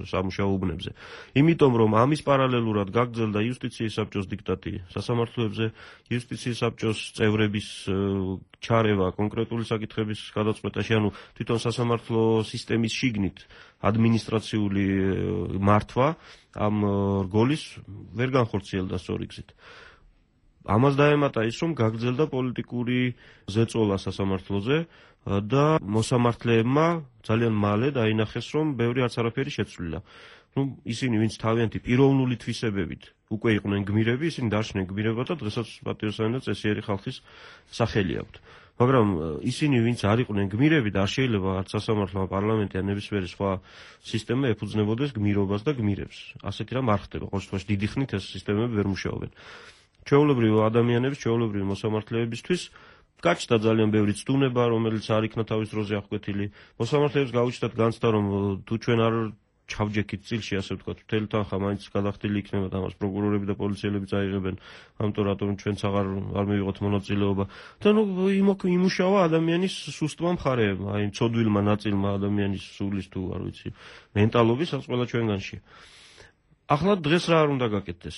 სამუშაო უბნებზე. იმიტომ რომ ამის პარალელურად გაგრძელდა იუსტიციის საბჭოს დიქტატი სასამართლოებზე, იუსტიციის საბჭოს წევრების ჩარევა კონკრეტული საკითხების გადაწყვეტაში, ანუ თვითონ სასამართლო სისტემის შიგნით ადმინისტრაციული მართვა ამ რგოლის ვერ განხორციელდა სწორი გზით. ამას დაემატა ის, რომ გაგრძელდა პოლიტიკური ზეწოლა სასამართლოზე და მოსამართლეებმა ძალიან მალე დაინახეს, რომ ბევრი არც არაფერი შეცვლილა. ისინი, ვინც თავიანთი პიროვნული თვისებებით უკვე იყვნენ გმირები, ისინი დარჩნენ გმირებად და დღესაც პატიოსანი და წესიერი ხალხის სახელი აქვთ. მაგრამ ისინი, ვინც არ იყვნენ გმირები და არ შეიძლება არც სასამართლო, პარლამენტი ან ნებისმიერი სხვა სისტემა ეფუძნებოდეს გმირობას და გმირებს. ასეთი რამ არ ხდება. ყოველ შემთხვევაში დიდი ხნით ეს სისტემები ვერ მუშაობენ. ჩვეულებრივი ადამიანების, ჩვეულებრივი მოსამართლეებისთვის გაჩნდა ძალიან ბევრი ცდუნება, რომელიც არ იქნა თავის დროზე აღკვეთილი. მოსამართლეებს გაუჩნდათ განცდა, რომ თუ ჩვენ არ ჩავჯექით წილში, ასე ვთქვათ, მთელი თანხა მაინც გადახდილი იქნება და ამას პროკურორები და პოლიციელები წაიღებენ, ამიტომ რატომ ჩვენც აღარ მივიღოთ მონაწილეობა. და იმუშავა ადამიანის სუსტმა მხარეებმა, აი მცოდვილმა ნაწილმა ადამიანის სულის თუ არ ვიცი, მენტალობის, რაც ყველა ჩვენგანშია. ახლა დღეს რა არ უნდა გაკეთდეს?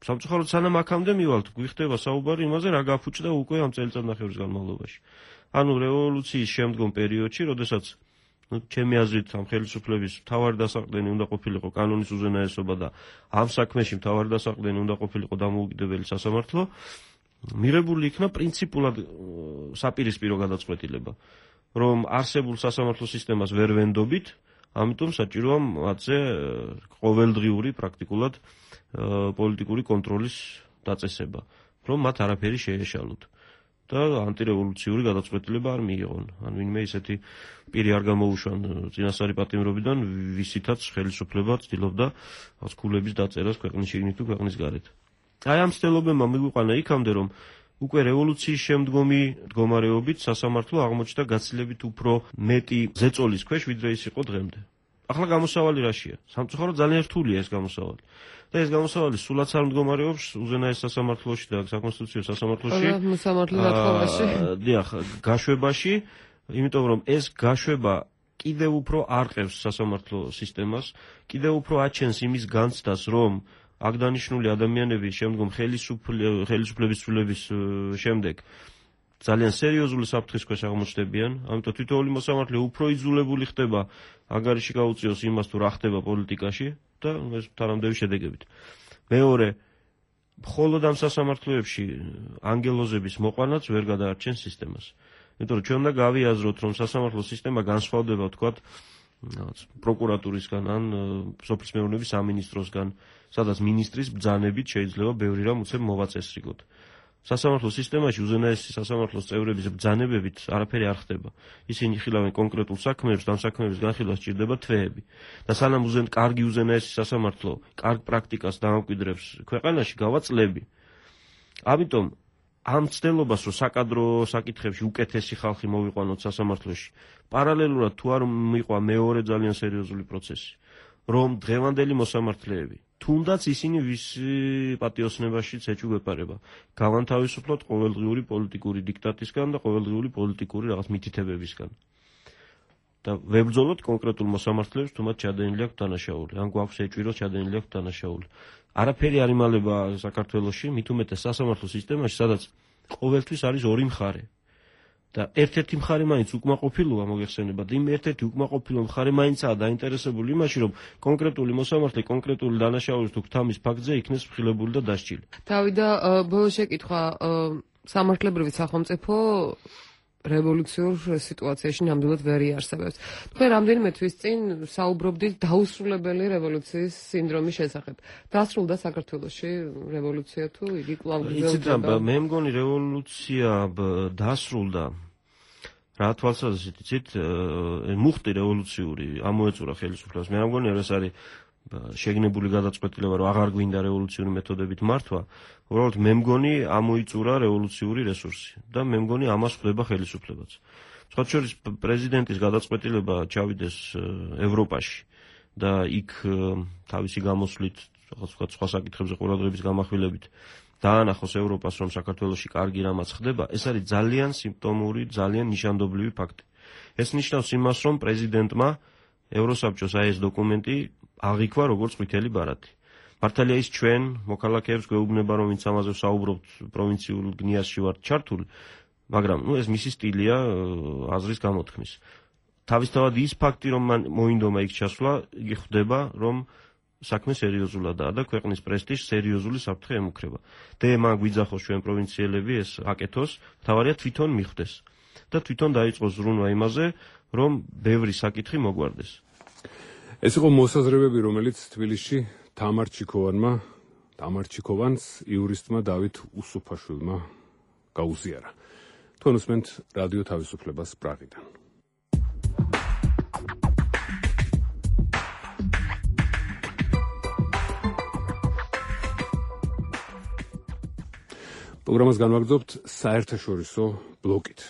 სამწუხაროდ სანამ აქამდე მივალთ, გვიხდება საუბარი იმაზე, რა გაფუჭდა უკვე ამ წელიწადნახევრის განმავლობაში. ანუ რევოლუციის შემდგომ პერიოდში, როდესაც ჩემი აზრით ამ ხელისუფლების მთავარი დასაყრდენი უნდა ყოფილიყო კანონის უზენაესობა და ამ საქმეში მთავარი დასაყრდენი უნდა ყოფილიყო დამოუკიდებელი სასამართლო, მიღებული იქნა პრინციპულად საპირისპირო გადაწყვეტილება, რომ არსებულ სასამართლო სისტემას ვერ ვენდობით, ამიტომ საჭიროა მათზე ყოველდღიური პრაქტიკულად პოლიტიკური კონტროლის დაწესება, რომ მათ არაფერი შეეშალოთ და ანტირევოლუციური გადაწყვეტილება არ მიიღონ. ან ვინმე ისეთი პირი არ გამოუშვან წინასწარი პატიმრობიდან, ვისითაც ხელისუფლება ცდილობდა ქულების დაწერას ქვეყნის შიგნით თუ ქვეყნის გარეთ. აი ამ ცდილობებმა მიგვიყვანა იქამდე, რომ უკვე რევოლუციის შემდგომი მდგომარეობით სასამართლო აღმოჩნდა გაცილებით უფრო მეტი ზეწოლის ქვეშ, ვიდრე ის იყო დღემდე. ახლა გამოსავალი რაშია? სამწუხაროდ ძალიან რთულია ეს გამოსავალი. და ეს გამოსავალი სულაც არ მდგომარეობს უზენაეს სასამართლოში და საკონსტიტუციო სასამართლოში. დიახ, გაშვებაში, იმიტომ რომ ეს გაშვება კიდევ უფრო არყევს სასამართლო სისტემას, კიდევ უფრო აჩენს იმის განცდას, რომ აქ დანიშნული ადამიანები შემდგომ ხელისუფლების ცვლილების შემდეგ ძალიან სერიოზული საფრთხის ქვეშ აღმოჩნდებიან, ამიტომ თითოეული მოსამართლე უფრო იძულებული ხდება ანგარიში გაუწიოს იმას თუ რა ხდება პოლიტიკაში და ეს თანამდები შედეგებით. მეორე, მხოლოდ ამ სასამართლოებში ანგელოზების მოყვანაც ვერ გადაარჩენს სისტემას. იმიტომ რომ ჩვენ უნდა გავიაზროთ, რომ სასამართლო სისტემა განსხვავდება, ვთქვათ, პროკურატურისგან ან სოფლის მეურნეობის სამინისტროსგან, სადაც მინისტრის ბრძანებით შეიძლება ბევრი რამ უცებ მოვაწესრიგოთ. სასამართლო სისტემაში უზენაესი სასამართლოს წევრების ბრძანებებით არაფერი არ ხდება. ისინი ხილავენ კონკრეტულ საქმეებს, ამ საქმეების განხილვას სჭირდება თვეები. და სანამ კარგი უზენაესი სასამართლო კარგ პრაქტიკას დაამკვიდრებს ქვეყანაში, გავა წლები. ამიტომ ამ ცდელობას, რომ საკადრო საკითხებში უკეთესი ხალხი მოვიყვანოთ სასამართლოში, პარალელურად თუ არ მიყვა მეორე ძალიან სერიოზული პროცესი, რომ დღევანდელი მოსამართლეები თუნდაც ისინი ვისი პატიოსნებაშიც ეჭვგეპარება, გავანთავისუფლოთ ყოველდღიური პოლიტიკური დიქტატისგან და ყოველდღიური პოლიტიკური რაღაც მითითებებისგან. და ვებრძოლოთ კონკრეტულ მოსამართლეებს, თუ მათ ჩადენილი აქვს დანაშაული, ან გვაქვს ეჭვი, ჩადენილი აქვს დანაშაული. არაფერი არ იმალება საქართველოში, მით უმეტეს სასამართლო სისტემაში, სადაც ყოველთვის არის ორი მხარე. და ერთ-ერთი მხარე მაინც უკმაყოფილოა მოგეხსენებათ, იმ ერთ-ერთი უკმაყოფილო მხარე მაინცაა დაინტერესებული იმაში, რომ კონკრეტული მოსამართლე კონკრეტული დანაშაულის თუ გთამის ფაქტზე იქნეს მხილებული და დასჯილი. თავი და ბოლო შეკითხვა, სამართლებრივი სახელმწიფო რევოლუციურ სიტუაციაში ნამდვილად ვერ იარსებებს. თქვენ რამდენიმე თვის წინ საუბრობდით დაუსრულებელი რევოლუციის სინდრომის შესახებ. დასრულდა საქართველოში რევოლუცია თუ იგი კვლავ გრძელდება? მე მგონი რევოლუცია დასრულდა. რა თვალსაზრისით იცით, მუხტი რევოლუციური ამოეწურა ხელისუფლებას. მე მგონი ეს არის შეგნებული გადაწყვეტილება, რომ აღარ გვინდა რევოლუციური მეთოდებით მართვა. უბრალოდ მე მგონი ამოიწურა რევოლუციური რესურსი და მე მგონი ამას ხვდება ხელისუფლებაც. სხვა შორის პრეზიდენტის გადაწყვეტილება ჩავიდეს ევროპაში და იქ თავისი გამოსვლით, სხვა საკითხებზე ყურადღების გამახვილებით დაანახოს ევროპას, რომ საქართველოში კარგი რამაც ხდება, ეს არის ძალიან სიმპტომური, ძალიან ნიშანდობლივი ფაქტი. ეს ნიშნავს იმას, რომ პრეზიდენტმა ევროსაბჭოს აი ეს დოკუმენტი აღიქვა როგორც ყვითელი ბარათი. მართალია ის ჩვენ მოქალაქეებს გვეუბნება, რომ ვინც ამაზე საუბრობთ, პროვინციულ გნიაზში ვართ ჩართული, მაგრამ ეს მისი სტილია აზრის გამოთქმის. თავისთავად ის ფაქტი, რომ მან მოინდომა იქ ჩასვლა, იგი ხვდება, რომ საქმე სერიოზულადაა და ქვეყნის პრესტიჟს სერიოზული საფრთხე ემუქრება. მან გვიძახოს ჩვენ პროვინციელები ეს აკეთოს, თავარია თვითონ მიხვდეს და თვითონ დაიწყოს ზრუნვა იმაზე, რომ ბევრი საკითხი მოგვარდეს. ეს იყო მოსაზრებები, რომელიც თბილისში თამარ ჩიქოვანს იურისტმა დავით უსუფაშვილმა გაუზიარა. თქვენ უსმენთ რადიო თავისუფლებას პრაღიდან. პროგრამას განვაგრძობთ საერთაშორისო ბლოკით.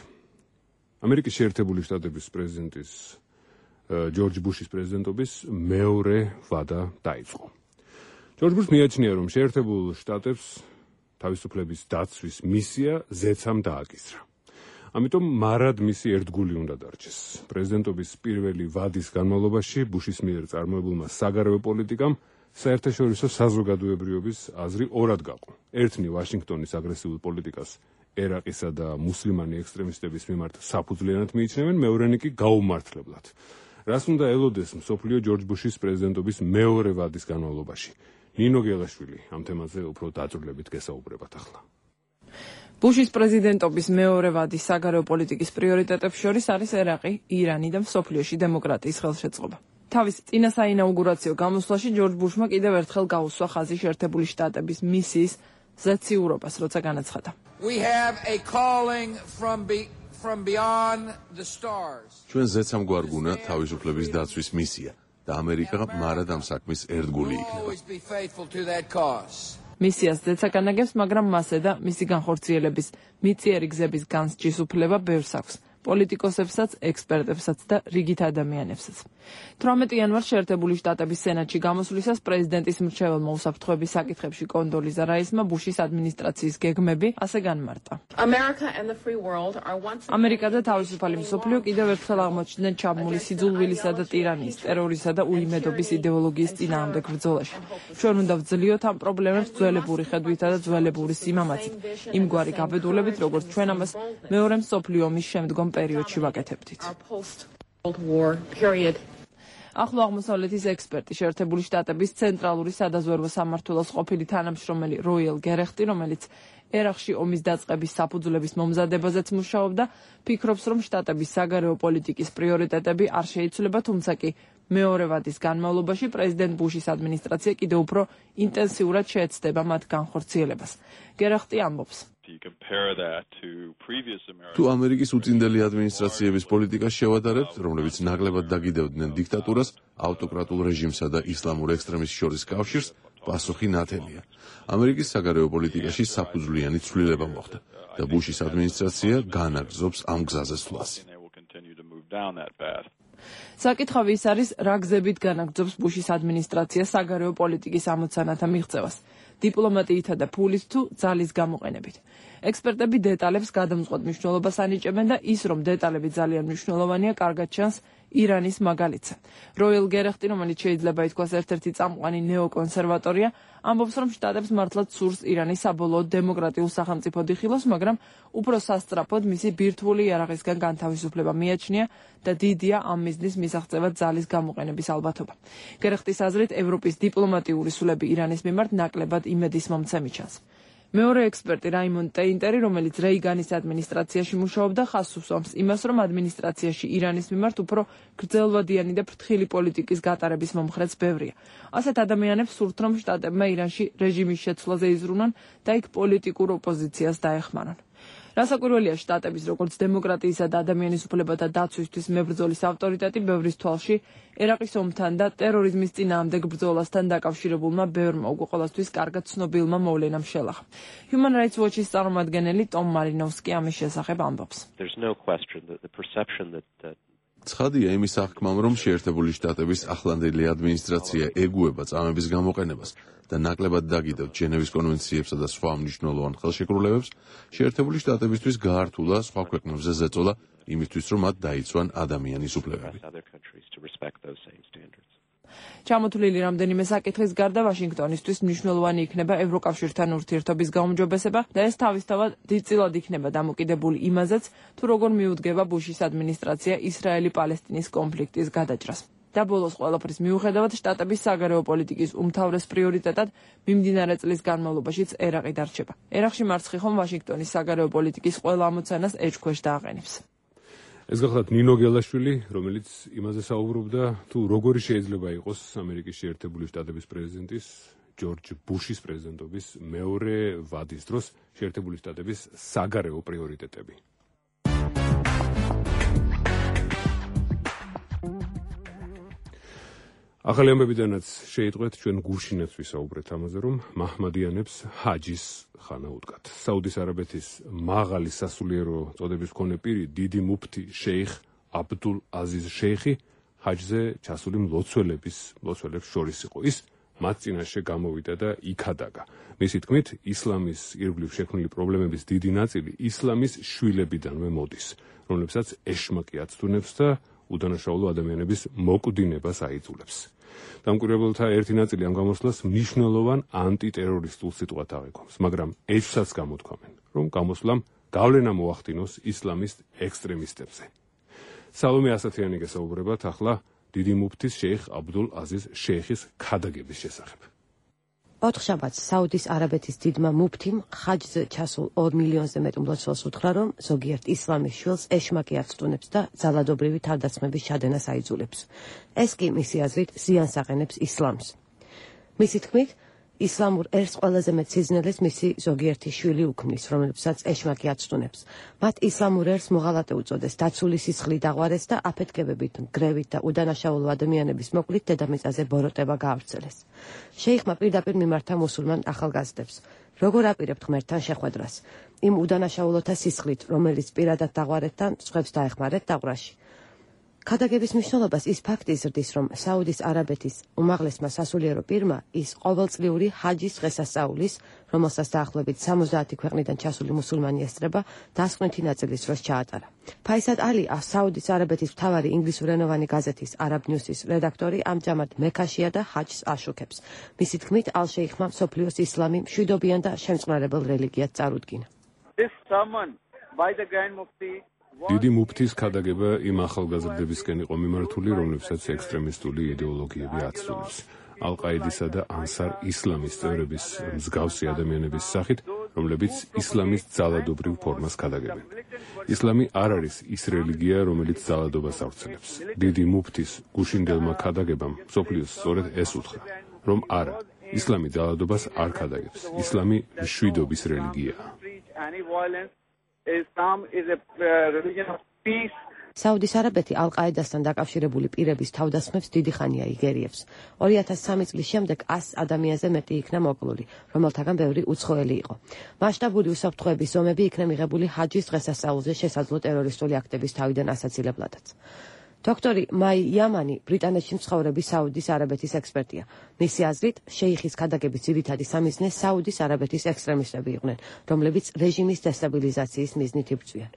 ამერიკის შეერთებული შტატების პრეზიდენტის ჯორჯ ბუშის პრეზიდენტობის მეორე ვადა დაიწყო. ჯორჯ ბუშს მიაჩნია, რომ შეერთებულ შტატებს თავისუფლების დაცვის მისია ზეცამ დააკისრა. ამიტომ მარად მისი ერთგული უნდა დარჩეს. პრეზიდენტობის პირველი ვადის განმავლობაში ბუშის მიერ წარმოებულმა საგარეო პოლიტიკამ საერთაშორისო საზოგადოებრიობის აზრი ორად გაყო. ერთნი ვაშინგტონის აგრესიულ პოლიტიკას ერაყისა და მუსლიმანი ექსტრემისტების მიმართ საფუძვლიანად მიიჩნევენ, მეორენი კი გაუმართლებლად. რას უნდა ელოდეს მსოფლიო ჯორჯ ბუშის პრეზიდენტობის მეორე ვადის განმავლობაში? ნინო გელაშვილი ამ თემაზე უფრო დაწვრილებით გესაუბრებათ ახლა. ბუშის პრეზიდენტობის მეორე ვადის საგარეო პოლიტიკის პრიორიტეტებს შორის არის ერაყი, ირანი და მსოფლიოში დემოკრატიის ხელშეწყობა. თავის წინა საინაუგურაციო გამოსვლაში ჯორჯ ბუშმა კიდევ ერთხელ გაუსვა ხაზი შეერთებული შტატების მისიის ზეციურობას, როცა განაცხადა. ჩვენ ზეცამ გვარგუნა თავისუფლების დაცვის მისია და ამერიკა მარად ამ საქმის ერთგული იქნება. მისიას ზეცა განაგებს, მაგრამ მასე და მისი განხორციელების მიწიერი გზების განსჯის უფლება ბევრს აქვს. პოლიტიკოსებსაც, ექსპერტებსაც და რიგით ადამიანებსაც. 18 იანვარს შეერთებული შტატების სენატში გამოსვლისას პრეზიდენტის მრჩეველმა უსაფრთხოების საკითხებში კონდოლიზა რაისმა ბუშის ადმინისტრაციის გეგმები ასე განმარტა. ამერიკა და თავისუფალი მსოფლიო კიდევ ერთხელ აღმოჩნდნენ ჩაბმული სიძულვილისა და ტირანიის, ტერორისა და უიმედობის იდეოლოგიის წინააღმდეგ ბრძოლაში. ჩვენ უნდა ვძლიოთ ამ პრობლემებს ძველებური ხედვითა და ძველებური სიმამაცით, იმგვარი გაბედულებით, როგორც ჩვენ ამას მეორე მსოფლიო ომის შემდგომ პერიოდში ვაკეთებდით. ახლო აღმოსავლეთის ექსპერტი, შეერთებული შტატების ცენტრალური სადაზვერვო სამმართველოს ყოფილი თანამშრომელი როიელ გერეხტი, რომელიც ერაყში ომის დაწყების საფუძვლების მომზადებაზეც მუშაობდა, ფიქრობს, რომ შტატების საგარეო პოლიტიკის პრიორიტეტები არ შეიცვლება, თუმცა კი მეორე ვადის განმავლობაში პრეზიდენტ ბუშის ადმინისტრაცია კიდევ უფრო ინტენსიურად შეეცდება მათ განხორციელებას. გერეხტი ამბობს. თუ ამერიკის უწინდელი ადმინისტრაციების პოლიტიკას შევადარებთ, რომლებიც ნაკლებად დაგიდევდნენ დიქტატურას, ავტოკრატულ რეჟიმსა და ისლამურ ექსტრემიზმს შორის კავშირს, პასუხი ნათელია. ამერიკის საგარეო პოლიტიკაში საფუძვლიანი ცვლილება მოხდა და ბუშის ადმინისტრაცია განაგრძობს ამ გზაზე სვლას. საკითხავი ის არის, რა გზებით განაგრძობს ბუშის ადმინისტრაცია საგარეო პოლიტიკის ამოცანათა მიღწევას, დიპლომატიითა და ფულის თუ ძალის გამოყენებით. ექსპერტები დეტალებს გადამწყვეტ მნიშვნელობას ანიჭებენ და ის, რომ დეტალები ძალიან მნიშვნელოვანია, კარგად ჩანს ირანის მაგალითზე. როიელ გერეხტი, რომელიც შეიძლება ითქვას ერთ-ერთი წამყვანი ნეოკონსერვატორია, ამბობს, რომ შტატებს მართლაც სურს ირანის საბოლოოდ დემოკრატიულ სახელმწიფოდ იხილოს, მაგრამ უფრო სასწრაფოდ მისი ბირთვული იარაღისგან განთავისუფლება მიაჩნია და დიდია ამ მიზნის მისაღწევად ძალის გამოყენების ალბათობა. გერეხტის აზრით, ევროპის დიპლომატიური სულები ირანის მიმართ ნაკლებად იმედისმომცემი ჩანს. მეორე ექსპერტი რაიმონ ტეინტერი, რომელიც რეიგანის ადმინისტრაციაში მუშაობდა, ხაზს უსვამს იმას, რომ ადმინისტრაციაში ირანის მიმართ უფრო გრძელვადიანი და ფრთხილი პოლიტიკის გატარების მომხრეც ბევრია. ასეთ ადამიანებს სურთ, რომ შტატებმა ირანში რეჟიმის შეცვლაზე იზრუნონ და იქ პოლიტიკურ ოპოზიციას დაეხმარონ. რასაკვირველია, შტატების როგორც დემოკრატიისა და ადამიანის უფლებათა დაცვისთვის მებრძოლის ავტორიტეტი ბევრის თვალში ერაყის ომთან და ტერორიზმის წინააღმდეგ ბრძოლასთან დაკავშირებულმა ბევრმა უკვე ყოველთვის კარგად ცნობილმა მოვლენამ შელახა. Human Rights Watch-ის წარმომადგენელი ტომ მარინოვსკი ამის შესახებ ამბობს. ცხადია იმის აღქმამ, რომ შეერთებული შტატების ახლანდელი ადმინისტრაცია ეგუება წამების გამოყენებას და ნაკლებად დაგიდევთ ჟენევის კონვენციებსა და სხვა მნიშვნელოვან ხელშეკრულებებს, შეერთებული შტატებისთვის გაართულა სხვა ქვეყნებზე ზეწოლა იმისთვის, რომ მათ დაიცვან ადამიანის უფლებები. ჩამოთვლილი რამდენიმე საკითხის გარდა ვაშინგტონისთვის მნიშვნელოვანი იქნება ევროკავშირთან ურთიერთობის გაუმჯობესება და ეს თავისთავად დიდწილად იქნება დამოკიდებული იმაზეც, თუ როგორ მიუდგება ბუშის ადმინისტრაცია ისრაელი-პალესტინის კონფლიქტის გადაჭრას. და ბოლოს ყველაფრის მიუხედავად, შტატების საგარეო პოლიტიკის უმთავრეს პრიორიტეტად მიმდინარე წლის განმავლობაშიც ერაყი დარჩება. ერაყში მარცხი ხომ ვაშინგტონის საგარეო პოლიტიკის ყველა ამოცანას ეჭქვეშ დააყენებს. ეს გახლავთ ნინო გელაშვილი, რომელიც იმაზე საუბრობდა, თუ როგორი შეიძლება იყოს ამერიკის შეერთებული შტატების პრეზიდენტის ჯორჯ ბუშის პრეზიდენტობის მეორე ვადის დროს შეერთებული შტატების საგარეო პრიორიტეტები. ახალი ამბებიდანაც შეიტყვეთ ჩვენ გუშინაც ვისაუბრეთ ამაზე, რომ მაჰმადიანებს ჰაჯის ხანა უდგათ. საუდის არაბეთის მაღალი სასულიერო წოდების მქონე პირი, დიდი მუფთი შეიხ აბდულ აზიზ შეიხი ჰაჯზე ჩასული მლოცველებს შორის იყო. ის მათ წინაშე გამოვიდა და იქადაგა. მისი თქმით, ისლამის ირგვლივ შექმნილი პრობლემების დიდი ნაწილი ისლამის შვილებიდანვე მოდის, რომლებსაც ეშმაკი აცდუნებს და უდანაშაულო ადამიანების მოკვდინებას აიძულებს. დამკვირვებელთა ერთი ნაწილი ამ გამოსვლას მნიშვნელოვან ანტიტერორისტულ სიტყვად აღიქვამს, მაგრამ ეჭვსაც გამოთქვამენ, რომ გამოსვლამ გავლენა მოახდინოს ისლამისტ ექსტრემისტებზე. სალომე ასათიანი გესაუბრებათ ახლა დიდი მუფთის შეიხ აბდულ აზიზ შეიხის ქადაგების შესახებ. ოთხშაბათს საუდის არაბეთის დიდმა მუფთიმ ხაჯზე ჩასულ 2 მილიონზე მეტ მლოცველს უთხრა, რომ ზოგიერთ ისლამის შვილს ეშმაკი აცდუნებს და ძალადობრივი თავდასხმების ჩადენას აიძულებს. ეს კი მისი აზრით ზიანს აყენებს ისლამს. მისი თქმით, ისლამურ ერს ყველაზე მეტ სიზნელეს მისი ზოგიერთი შვილი უქმნის, რომლებსაც ეშმაკი აცდუნებს. მათ ისლამურ ერს მოღალატე უწოდეს, დაცული სისხლი დაღვარეს და აფეთქებებით, გრევით და უდანაშაულო ადამიანების მოკლით დედამიწაზე ბოროტება გაავრცელეს. შეიხმა პირდაპირ მიმართა მუსულმან ახალგაზრდებს. როგორ აპირებთ ღმერთთან შეხვედრას? იმ უდანაშაულოთა სისხლით, რომელიც პირადად დაღვარეთთან სხვებს დაეხმარეთ დაღვრაში. ქადაგების მნიშვნელობას ის ფაქტი ზრდის, რომ საუდის არაბეთის უმაღლესმა სასულიერო პირმა ის ყოველწლიური ჰაჯის დღესასწაულის, რომელსაც დაახლოებით 70 ქვეყნიდან ჩასული მუსულმანი ესწრება, დასკვნითი ნაწილის დროს ჩაატარა. ფაისად ალი, საუდის არაბეთის მთავარი ინგლისურენოვანი გაზეთის Arab News-ის რედაქტორი, ამჟამად მექაშია და ჰაჯს აშუქებს. მისი თქმით, ალ-შეიხმა მსოფლიოს ისლამი მშვიდობიან და შემწყნარებელ რელიგიად წარუდგინა. This sermon by the Grand Mufti დიდი მუფთის ქადაგება იმ ახალგაზრდებისკენ იყო მიმართული, რომლებსაც ექსტრემისტული იდეოლოგიები აცდენს. ალ-ყაიდისა და ანსარ ისლამის წევრების მსგავსი ადამიანების სახით, რომლებიც ისლამის ძალადობრივ ფორმას ქადაგებენ. ისლამი არ არის ის რელიგია, რომელიც ძალადობას ავრცელებს. დიდი მუფთის გუშინდელმა ქადაგებამ მსოფლიოს სწორედ ეს უთხრა, რომ არა, ისლამი ძალადობას არ ქადაგებს. ისლამი მშვიდობის რელიგიაა. Islam is a religion of peace. საუდის არაბეთი ალ-ყაიდასთან დაკავშირებული პირების თავდასხმებს დიდი ხანია იგერიებს. 2003 წლის შემდეგ 100 ადამიანზე მეტი იქნა მოკლული, რომელთაგან ბევრი უცხოელი იყო. მასშტაბური უსაფრთხოების ზომები იქნა მიღებული ჰაჯის დღესასწაულზე შესაძლო ტერორისტული აქტების თავიდან ასაცილებლადაც. დოქტორი მაი იამანი ბრიტანეთში მცხოვრები საუდის არაბეთის ექსპერტია. მისი აზრით, შეიხის ქადაგების ძირითადი სამიზნე საუდის არაბეთის ექსტრემისტები იყვნენ, რომლებიც რეჟიმის დესტაბილიზაციის მიზნით იბრძვიან.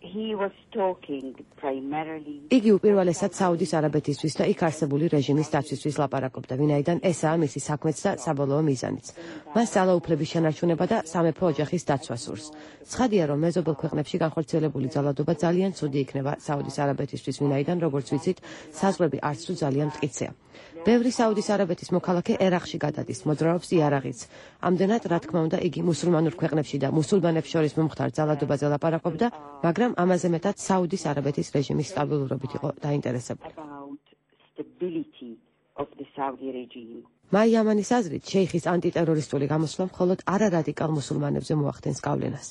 იგი უპირველესად საუდის არაბეთისთვის და იქ არსებული რეჟიმის დაცვისთვის ლაპარაკობდა, ვინაიდან ესაა მისი საქმეც და საბოლოო მიზანიც. მას ძალაუფლების შენარჩუნება და სამეფო ოჯახის დაცვა სურს. ცხადია, რომ მეზობელ ქვეყნებში განხორციელებული ძალადობა ძალიან ცუდი იქნება საუდის არაბეთისთვის, ვინაიდან როგორც ვიცით, საზღვრები არც თუ ძალიან მტკიცეა. ბევრი საუდის არაბეთის მოქალაქე ერაყში გადადის, მოძრაობს იარაღიც. ამდენად, რა თქმა უნდა, იგი მუსულმანურ ქვეყნებში და მუსულმანებს შორის მომხდარ ძალადობაზე ლაპარაკობდა, მაგრამ ამაზე მეტად საუდის არაბეთის რეჟიმის სტაბილურობით იყო დაინტერესებული. მაი იამანის აზრით, შეიხის ანტიტერორისტული გამოსვლა მხოლოდ არარადიკალ მუსულმანებზე მოახდენს გავლენას.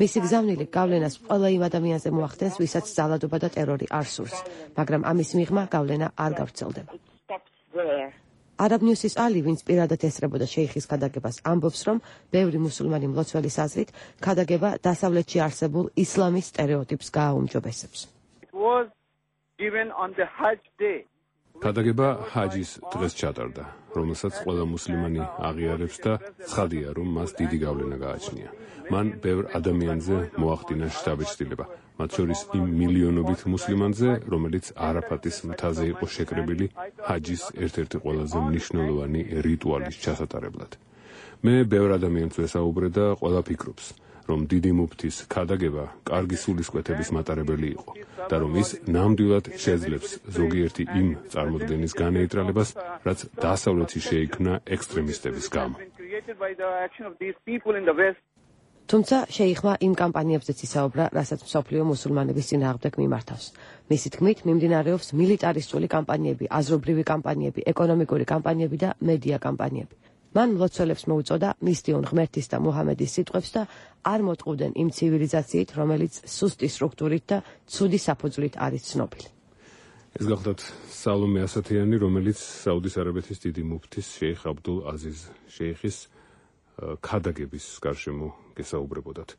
მისი გზავნილი გავლენას ყველა იმ ადამიანზე მოახდენს, ვისაც ძალადობა და ტერორი არ სურს, მაგრამ ამის მიღმა გავლენა არ გავრცელდება. Arab News-ის ალი, ვინც პირადად ესწრებოდა შეიხის ქადაგებას, ამბობს, რომ ბევრი მუსულმანი მლოცველის აზრით, ქადაგება დასავლეთში არსებულ ისლამის სტერეოტიპს გააუმჯობესებს. ქადაგება ჰაჯის დღეს ჩატარდა, რომელსაც ყველა მუსლიმანი აღიარებს და ცხადია, რომ მას დიდი გავლენა გააჩნია. მან ბევრ ადამიანზე მოახდინა შთაბეჭდილება, მათ შორის იმ მილიონობით მუსლიმანზე, რომელიც არაფატის მთაზე იყო შეკრებილი ჰაჯის ერთ-ერთი ყველაზე მნიშვნელოვანი რიტუალის ჩასატარებლად. მე ბევრ ადამიანს ვესაუბრე და ყველა ფიქრობს, რომ დიდი მუფთის ქადაგება კარგი სულისკვეთების მატარებელი იყო და რომ ის ნამდვილად შეძლებს ზოგიერთი იმ წარმოდგენის განეიტრალებას, რაც დასავლეთში შეიქმნა ექსტრემისტების გამო. თუმცა შეიხმა იმ კამპანიებზეც ისაუბრა, რასაც მსოფლიო მუსულმანების წინააღმდეგ მიმართავს. მისი თქმით, მიმდინარეობს მილიტარისტული კამპანიები, აზრობრივი კამპანიები, ეკონომიკური კამპანიები და მედია კამპანიები. მან მლოცველებს მოუწოდა მისდიონ ღმერთის და მუჰამედის სიტყვებს და არ მოტყუდნენ იმ ცივილიზაციით, რომელიც სუსტი სტრუქტურით და ცუდი საფუძვლით არის ცნობილი. ეს გახლდათ სალომე ასათიანი, რომელიც საუდის არაბეთის დიდი მუფთის შეიხ აბდულ აზიზ შეიხის ქადაგების გარშემო გესაუბრებოდათ.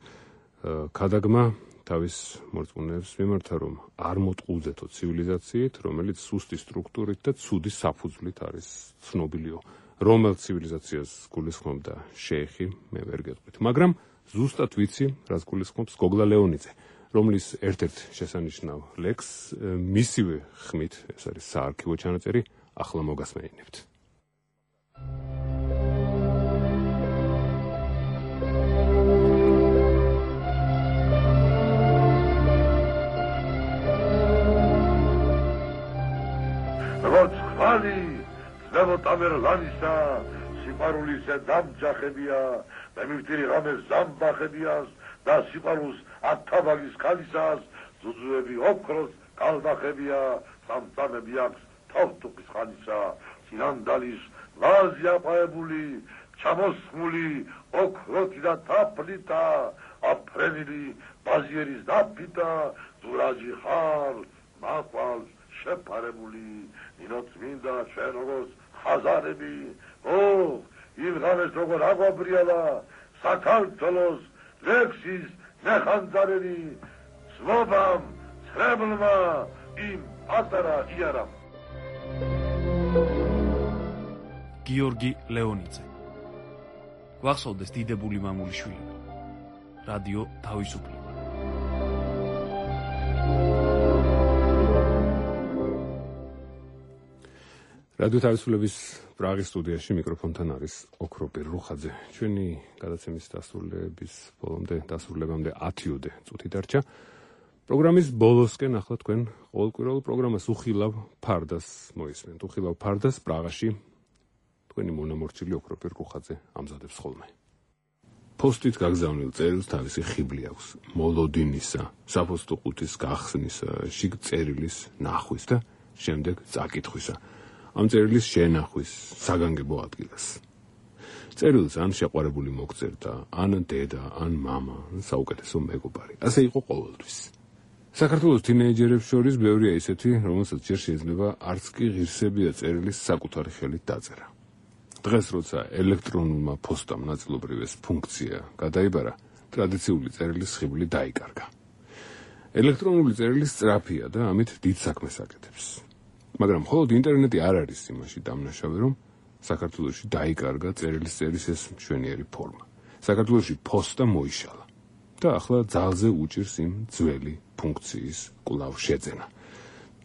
ქადაგმა თავის მორწმუნეებს მიმართა, რომ არ მოტყუძეთო ცივილიზაციით, რომელიც სუსტი სტრუქტურით და ცუდი საფუძვლით არის ცნობილიო. რომელ ცივილიზაციას გულისხმობდა შეიხი, მე ვერ გეტყვით, მაგრამ ზუსტად ვიცი, რაც გულისხმობს გოგლა ლეონიძე, რომლის ერთ-ერთ შესანიშნავ ლექსს მისივე ხმით, ეს არის საარქივო ჩანაწერი, ახლა მოგასმენინებთ. ამერლანისა სიყვარულისა დამჯახებია და მივტირი ღამეს ზამბახებიას და სიყვარულს ათაბაგის ქალისას ზუზუები ოქროს კალბახებია სამწამები აქვს თავთუყის ხანისა სინანდალის ვაზი აპაებული ჩამოსხმული ოქროთი და თაფლითა აფრენილი ბაზიერის დაფითა ზურაჯი ხარ მაყვალს შეფარებული ნინოწმინდა ჩვენ როგორც ხაზარები იმ ღამეს როგორ აგვაბრიალა საქართველოს ლექსის ნახანძარელი ცნობამ ცრებლმა იმ პატარა იარამ. გიორგი ლეონიძე. გვახსოვდეს დიდებული მამულიშვილი. რადიო თავისუფლება. რადიო თავისუფლების პრაღის სტუდიაში მიკროფონთან არის ოქრო პირრუხაძე. ჩვენი გადაცემის დასრულებამდე 10-ოდე წუთი დარჩა. პროგრამის ბოლოსკენ ახლა თქვენ ყოველკვირეულ პროგრამას უხილავ ფარდას მოისმენთ. უხილავ ფარდას პრაღაში თქვენი მონამორჩილი ოქრო პირრუხაძე ამზადებს ხოლმე. პოსტით გაგზავნილ წერილს თავისი ხიბლი აქვს. მოლოდინისა, საფოსტო ყუთის გახსნისა, შიგ წერილის ნახვის და შემდეგ წაკითხვისა. ამ წერილის შენახვის საგანგებო ადგილას. წერილს ან შეყვარებული მოგწერდა, ან დედა, ან მამა, საუკეთესო მეგობარი. ასე იყო ყოველთვის. საქართველოს თინეიჯერებს შორის ბევრია ისეთი, რომელსაც ჯერ შეიძლება არც კი ღირსებია წერილის საკუთარი ხელით დაწერა. დღეს როცა ელექტრონულმა პოსტამ ნაწილობრივ ეს ფუნქცია გადაიბარა, ტრადიციული წერილის ხიბლი დაიკარგა. ელექტრონული წერილი სწრაფია და ამით დიდ საქმეს აკეთებს. მაგრამ მხოლოდ ინტერნეტი არ არის იმაში დამნაშავე, რომ საქართველოში დაიკარგა წერილის წერის ეს მშვენიერი ფორმა. საქართველოში პოსტა მოიშალა და ახლა ძალზე უჭირს იმ ძველი ფუნქციის კვლავ შეძენა.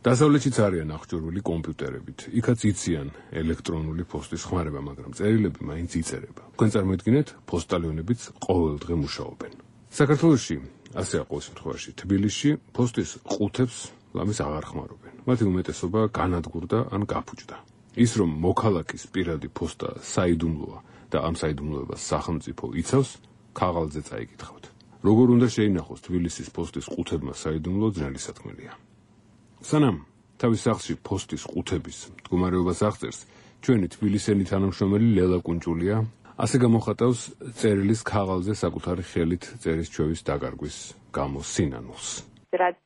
დასავლეთშიც არიან აღჭურვილი კომპიუტერებით. იქაც იციან ელექტრონული პოსტის ხმარება, მაგრამ წერილები მაინც იწერება. თქვენ წარმოიდგინეთ, პოსტალიონებიც ყოველდღე მუშაობენ. საქართველოში, ასეა ყოველ შემთხვევაში, თბილისში პოსტის ყუთებს ლამის აღარ ხმარობენ. მათი უმეტესობა განადგურდა ან გაფუჭდა. ის რომ მოქალაქის პირადი პოსტა საიდუმლოა და ამ საიდუმლოებას სახელმწიფო იცავს, ქაღალდზე წაიკითხავთ. როგორ უნდა შეინახოს თბილისის პოსტის ყუთებმა საიდუმლო ძნელი სათქმელია. სანამ თავის სახლში პოსტის ყუთების მდგომარეობას აღწერს, ჩვენი თბილისელი თანამშრომელი ლელა კუნჭულია ასე გამოხატავს წერილის ქაღალდზე საკუთარი ხელით წერის ჩვევის დაკარგვის გამო სინანულს. რაც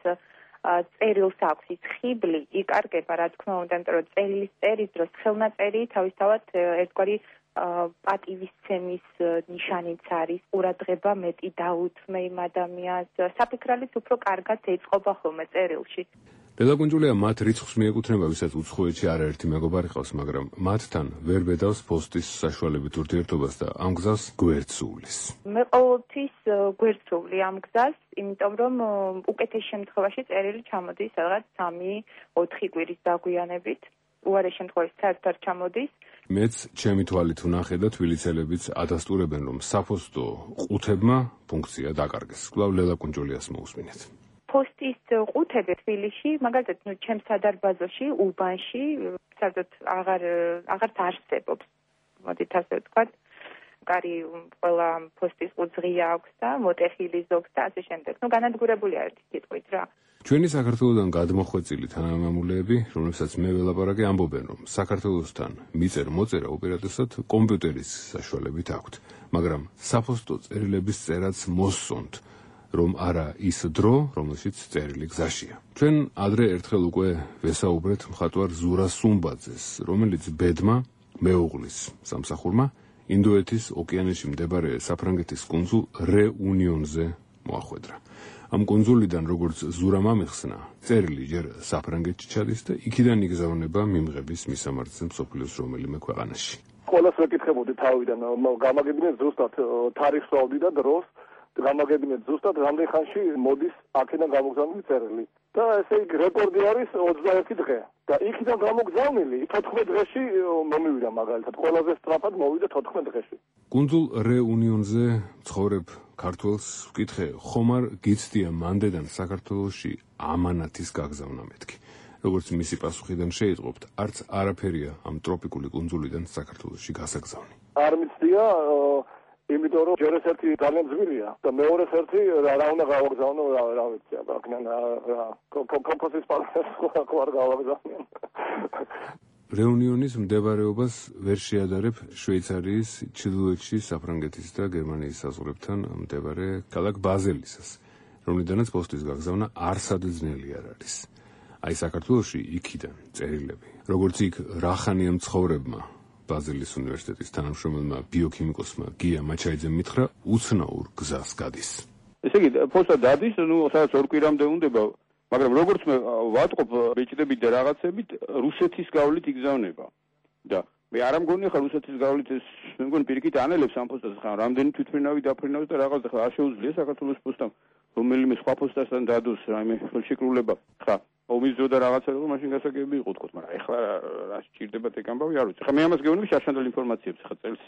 წერილს აქვს ის ხიბლი იკარგება, რა თქმა უნდა, იმიტომ რომ წერილის წერის დროს ხელნაწერი თავისთავად ერთგვარი პატივისცემის ნიშანიც არის. ყურადღება მეტი დაუთმე იმ ადამიანს, საფიქრალიც უფრო კარგად ეწყობა ხოლმე წერილში. ლელა კუნჭულია მათ რიცხვს მიეკუთვნება, ვისაც უცხოეთში არაერთი მეგობარი ყავს, მაგრამ მათთან ვერ ბედავს პოსტის საშუალებით ურთიერთობას და ამ გზას გვერდს უვლის. მე ყოველთვის გვერდს უვლი ამ გზას, იმიტომ რომ უკეთეს შემთხვევაში წერილი ჩამოდის რაღაც 3-4 კვირის დაგვიანებით. უარეს შემთხვევაში საერთოდ ჩამოდის. მეც ჩემი თვალით ვნახე და თბილისელებიც ადასტურებენ, რომ საფოსტო ყუთებმა ფუნქცია დაკარგეს. კვლავ ლელა კუნჭულიას მოусმინეთ. პოსტის ყუთები თბილისში, მაგალითად, ჩემს სადარბაზოში, უბანში, საერთოდ აღარ არსებობს. მოდით ასე ვთქვათ, კარი ყველა პოსტის ყუთს ღია აქვს და მოტეხილი ზოგს და ასე შემდეგ. განადგურებულია ერთი სიტყვით რა. ჩვენი საქართველოსთან გადმოხვეწილი თანამემამულეები, რომლებსაც მე ველაპარაკე, ამბობენ, რომ საქართველოსთან მიწერ-მოწერა უპირატესად კომპიუტერის საშუალებით აქვთ, მაგრამ საფოსტო წერილების წერაც მოსწონთ, რომ არა ის დრო, რომელშიც წერილი გზაშია. ჩვენ ადრე ერთხელ უკვე ვესაუბრეთ მხატვარ ზურა სუმბაძეს, რომელიც ბედმა მეუღლის სამსახურმა ინდოეთის ოკეანეში მდებარე საფრანგეთის კუნძულ რეუნიონზე მოახვედრა. ამ კუნძულიდან, როგორც ზურამ ამიხსნა, წერილი ჯერ საფრანგეთში ჩადის და იქიდან იგზავნება მიმღების მისამართზე მსოფლიოს რომელიმე ქვეყანაში. ყველას ვეკითხებოდი თავიდან, გამაგებინეთ ზუსტად თარიღს ვავდი და დროს, გამაგებინეთ ზუსტად რამდენ ხანში მოდის აქედან გამოგზავნილი წერილი. და ესე იგი რეკორდი არის 21 დღე. და იქიდან გამოგზავნილი 14 დღეში მომივიდა მაგალითად. ყველაზე სწრაფად მოვიდა 14 დღეში. კუნძულ რეუნიონზე ცხოვრებ ქართველს ვკითხე, ხომ არ გიცდია მანდედან საქართველოში ამანათის გაგზავნა მეთქი. როგორც მისი პასუხიდან შეიტყობთ, არც არაფერია ამ ტროპიკული კუნძულიდან საქართველოში გასაგზავნი. არ მიცდია, იმიტომ რომ ჯერ ერთი ძალიან ძვირია და მეორეს ერთი რა უნდა გავაგზავნო, რა ვიცი, აქედან კომპოზის პალატას ხო არ გავაგზავნიან. რეუნიონის მდებარეობას ვერ შეადარებ შვეიცარიის, ჩრდილოეთში საფრანგეთის და გერმანიის საზღვრებთან მდებარე ქალაქ ბაზელისას, რომლიდანაც პოსტის გაგზავნა არსად ძნელი არ არის. აი საქართველოში იქიდან წერილები, როგორც იქ რახანიან ცხოვრებმა ბაზილის უნივერსიტეტის თანამშრომელმა ბიოქიმიკოსმა გია მაჩაიძემ მითხრა, უცნაურ გზას გადის. ესე იგი, ფოსტა დადის, სადაც 2 კვირამდე უნდება, მაგრამ როგორც მე ვატყობ ბეჭდებით და რაღაცებით, რუსეთის გავლით იგზავნება. და მე არ მგონია ხა რუსეთის გავლით ეს მე მგონი პირიქით ანელებს ამ ფოსტას ხა რამდენი თვითმფრინავი დაფრინავს და რაღაც ხა არ შეუძლია საქართველოს პოსტამ რომელიმე სხვა პოსტასთან დადოს რაიმე ხელშეკრულება ხა ომის დრო და რაღაცა რომ მაშინ გასაგები იყო თქო, მაგრამ ეხლა რა სჭირდებათ ეგ ამბავი არ ვიცი. ხა მე ამას გეუბნები შარშანდელ ინფორმაციებს ხა წელს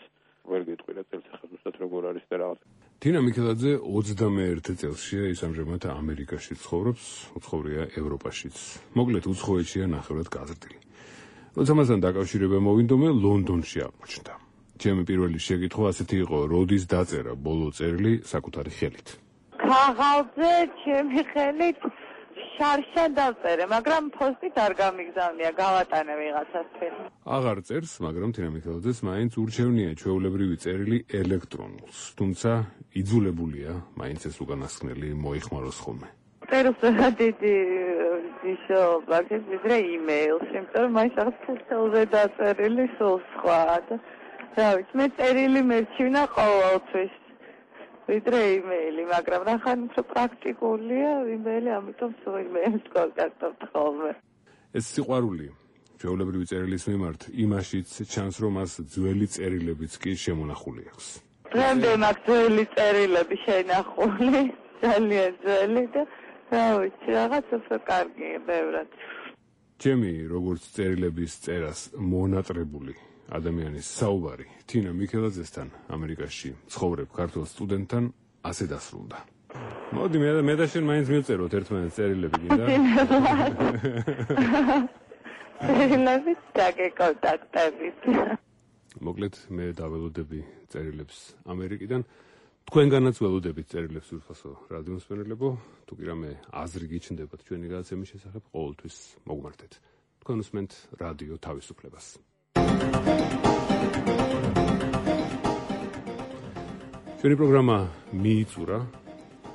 ვერ გეტყვი რა წელს ხა ზუსტად როგორ არის და რაღაც. თინა მიქელაძე 21 წელსია ის ამჟამად ამერიკაში ცხოვრობს, უცხოვრია ევროპაშიც. მოკლედ უცხოეთშია ნახევრად გაზრდილი. როცა მასთან დაკავშირება მოვინდომე ლონდონში აღმოჩნდა. ჩემი პირველი შეკითხვა ასეთი იყო, როდის დაწერა ბოლო წერილი საკუთარი ხელით. ქაღალდზე ჩემი ხელით შარშან დავწერე, მაგრამ პოსტით არ გამიგზავნია, გავატანე ვიღაცასთან. აღარ წერს, მაგრამ თინა მიქელაძეს მაინც ურჩევნია ჩვეულებრივი წერილი ელექტრონულს, თუმცა იძულებულია მაინც ეს უკანასკნელი მოიხმაროს ხოლმე. წერილს რა დიდი ისო ვიდრე იმეილში, იმიტომ რომ მაინც რაღაც ფუსელზე დაწერილი სულ სხვა და რა ვიცი, მე წერილი მერჩივნა ყოველთვის ვიდრე იმეილი, მაგრამ ნახან უფრო პრაქტიკულია იმეილი, ამიტომ სულ იმეილს კონტაქტობთ ხოლმე. ეს სიყვარული ჩვეულებრივი წერილის მიმართ იმაშიც ჩანს, რომ მას ძველი წერილებიც კი შემონახული აქვს. დღემდე მაქვს ძველი წერილები შენახული, ძალიან ძველი და რა ვიცი, რაღაც უფრო კარგია ბევრად. ჩემი როგორც წერილების წერას მონატრებული ადამიანის საუბარი თინა მიქელაძესთან ამერიკაში ცხოვრებ ქართულ სტუდენტთან ასე დასრულდა. მოდი მე და შენ მაინც მივწეროთ ერთმანეთს წერილები კიდე. წერილები დაგეკონტაქტებით. მოკლედ მე დაველოდები წერილებს ამერიკიდან. თქვენგანაც ველოდებით წერილებს ურფასო რადიო მსმენელებო, თუ კი რამე აზრი გიჩნდებათ ჩვენი გადაცემის შესახებ, ყოველთვის მოგმართეთ. თქვენ უსმენთ რადიო თავისუფლებას. ჩვენი პროგრამა მიიწურა.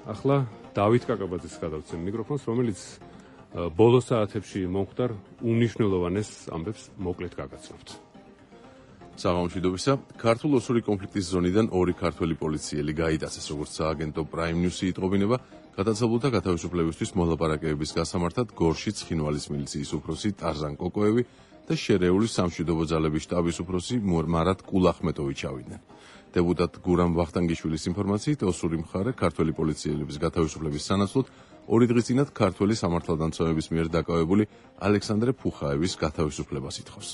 ახლა დავით კაკაბაძეს გადავცემ მიკროფონს, რომელიც ბოლო საათებში მომხდარ უნიშნელოვანეს ამბებს მოკლედ გაგაცნობთ. საღამომშვიდობისა, ქართულ-ოსური კონფლიქტის ზონიდან 2 ქართველი პოლიციელი გაიტაცეს, როგორც სააგენტო Prime News-ი იტყობინება, გადაცალულთა გათავისუფლებისთვის მოლაპარაკებების გასამართად გორში ცხინვალის მილიციის უფროსი ტარზან კოკოევი და შერეული სამშვიდობო ძალების შტაბის უფროსი მარად კულახმეტოვი ჩავიდნენ. დეპუტატ გურამ ვახტანგიშვილის ინფორმაციით, ოსური მხარე ქართველი პოლიციელების გათავისუფლების სანაცვლოდ 2 დღის წინათ ქართველი სამართალდამცავების მიერ დაკავებული ალექსანდრე ფუხაევის გათავისუფლებას ითხოვს.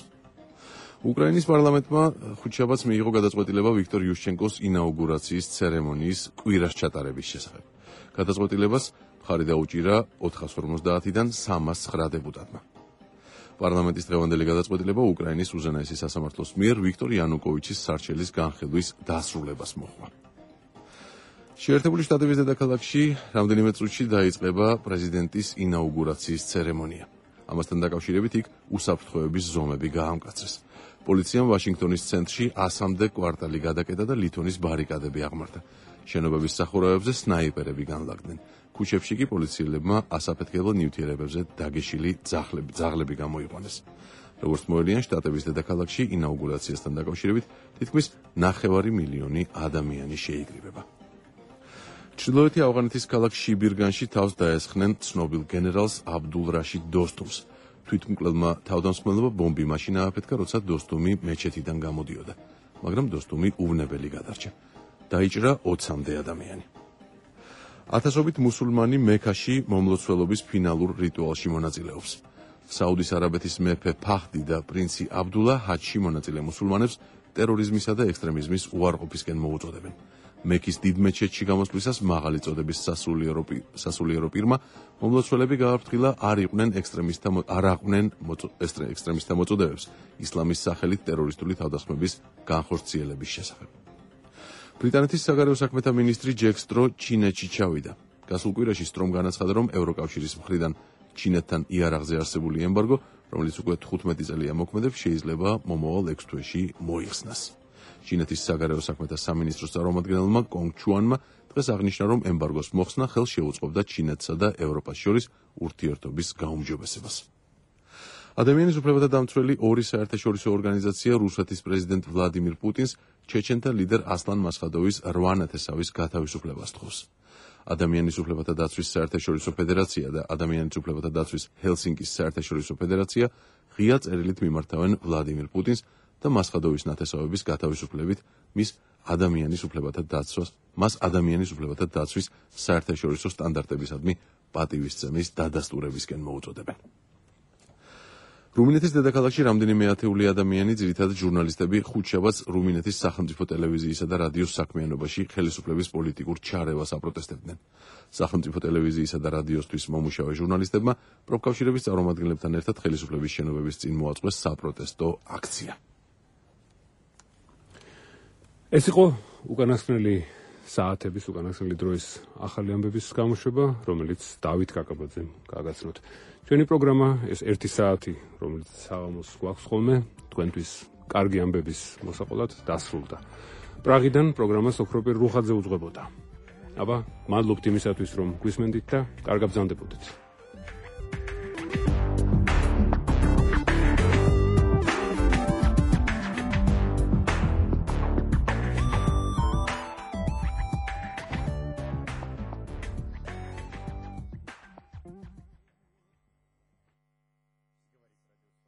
უკრაინის პარლამენტმა ხუთშაბათს მიიღო გადაწყვეტილება ვიქტორ იუშჩენკოს ინაუგურაციის ცერემონიის კვირას ჩატარების შესახებ. გადაწყვეტილებას მხარი დაუჭირა 450-დან 309 დეპუტატმა. პარლამენტის დღევანდელი გადაწყვეტილება უკრაინის უზენაესი სასამართლოს მიერ ვიქტორ იანუკოვიჩის სარჩელის განხილვის დასრულებას მოჰყვა. შეერთებული შტატების დედაქალაქში რამდენიმე წუთში დაიწყება პრეზიდენტის ინაუგურაციის ცერემონია. ამასთან დაკავშირებით იქ უსაფრთხოების ზომები გაამკაცრეს. პოლიციამ ვაშინგტონის ცენტრში 100-მდე კვარტალი გადაკეტა და ლითონის ბარიკადები აღმართა. შენობების სახურავებზე სნაიპერები განლაგდნენ. ქუჩებში კი პოლიციელებმა ასაფეთქებელ ნივთიერებებზე დაგეშილი ძაღლები გამოიყვანეს. როგორც მოელიან, შტატების დედაქალაქში ინაუგურაციასთან დაკავშირებით თითქმის 9 მილიონი ადამიანი შეიკრიბება. ჩრდილოეთი ავღანეთის ქალაქ შიბირგანში თავს დაესხნენ ცნობილ გენერალს აბდულ რაშიდ დოსტუმს. თვითმკვლელმა თავდამსხმელებმა ბომბი მაშინ ააფეთქა, როცა დოსტუმი მეჩეთიდან გამოდიოდა, მაგრამ დოსტუმი უვნებელი გადარჩა. დაიჭრა 20-მდე ადამიანი. ათასობით მუსულმანი მექაში მომლოცველობის ფინალურ რიტუალში მონაწილეობს. საუდის არაბეთის მეფე ფაჰდი და პრინცი აბდულა ჰაჯში მონაწილე მუსულმანებს ტერორიზმისა და ექსტრემიზმის უარყოფისკენ მოუწოდებენ. მექის დიდ მეჩეთში გამოსვლისას მაღალი წოდების სასულიერო პირმა მომლოცველები გააფრთხილა არ აყვნენ ექსტრემისტთა მოწოდებებს ისლამის სახელით ტერორისტული თავდასხმების განხორციელების შესახებ. ბრიტანეთის საგარეო საქმეთა მინისტრი ჯეკ სტრო ჩინეთში ჩავიდა. გასულ კვირაში სტრომ განაცხადა, რომ ევროკავშირის მხრიდან ჩინეთთან იარაღზე არსებული ემბარგო, რომელიც უკვე 15 წელია მოქმედებს, შეიძლება მომავალ 6 თვეში მოიხსნას. ჩინეთის საგარეო საქმეთა სამინისტროს წარმომადგენელმა კონგ ჩუანმა დღეს აღნიშნა, რომ ემბარგოს მოხსნა ხელს შეუწყობდა ჩინეთსა და ევროპას შორის ურთიერთობის გაუმჯობესებას. ადამიანის უფლებათა დამცველი ორი საერთაშორისო ორგანიზაცია რუსეთის პრეზიდენტ ვლადიმირ პუტინს ჩეჩენთა ლიდერ ასლან მასხადოვის 8 ნათესავის გათავისუფლებას თხოვს. ადამიანის უფლებათა დაცვის საერთაშორისო ფედერაცია და ადამიანის უფლებათა დაცვის ჰელსინკის საერთაშორისო ფედერაცია ღია წერილით მიმართავენ ვლადიმირ პუტინს და მასხადოვის ნათესავების გათავისუფლებით მას ადამიანის უფლებათა დაცვის საერთაშორისო სტანდარტებისადმი პატივისცემის დადასტურებისკენ მოუწოდებენ. რუმინეთის დედაქალაქში რამდენიმე ათეული ადამიანი, ძირითადად ჟურნალისტები, ხუთშაბათს რუმინეთის სახელმწიფო ტელევიზიისა და რადიოს საქმიანობაში ხელისუფლების პოლიტიკურ ჩარევას აპროტესტებდნენ. სახელმწიფო ტელევიზიისა და რადიოსთვის მომუშავე ჟურნალისტებმა პროფკავშირების წარმომადგენლებთან ერთად ხელისუფლების შენობების წინ მოაწყვეს საპროტესტო აქცია. ეს იყო უკანასკნელი საათების, უკანასკნელი დროის ახალი ამბების გამოშვება, რომელიც დავით კაკაბაძემ გააგაცნოთ. ჩვენი პროგრამა ეს 1 საათი, რომელიც საღამოს გვაქვს ხოლმე, თქვენთვის კარგი ამბების მოსაყოლად დასრულდა. პრაღიდან პროგრამას ოქროპირ რუხაძე უძღვებოდა. აბა, მადლობთ იმისათვის, რომ გვისმენდით და კარგად ბრძანდებოდეთ.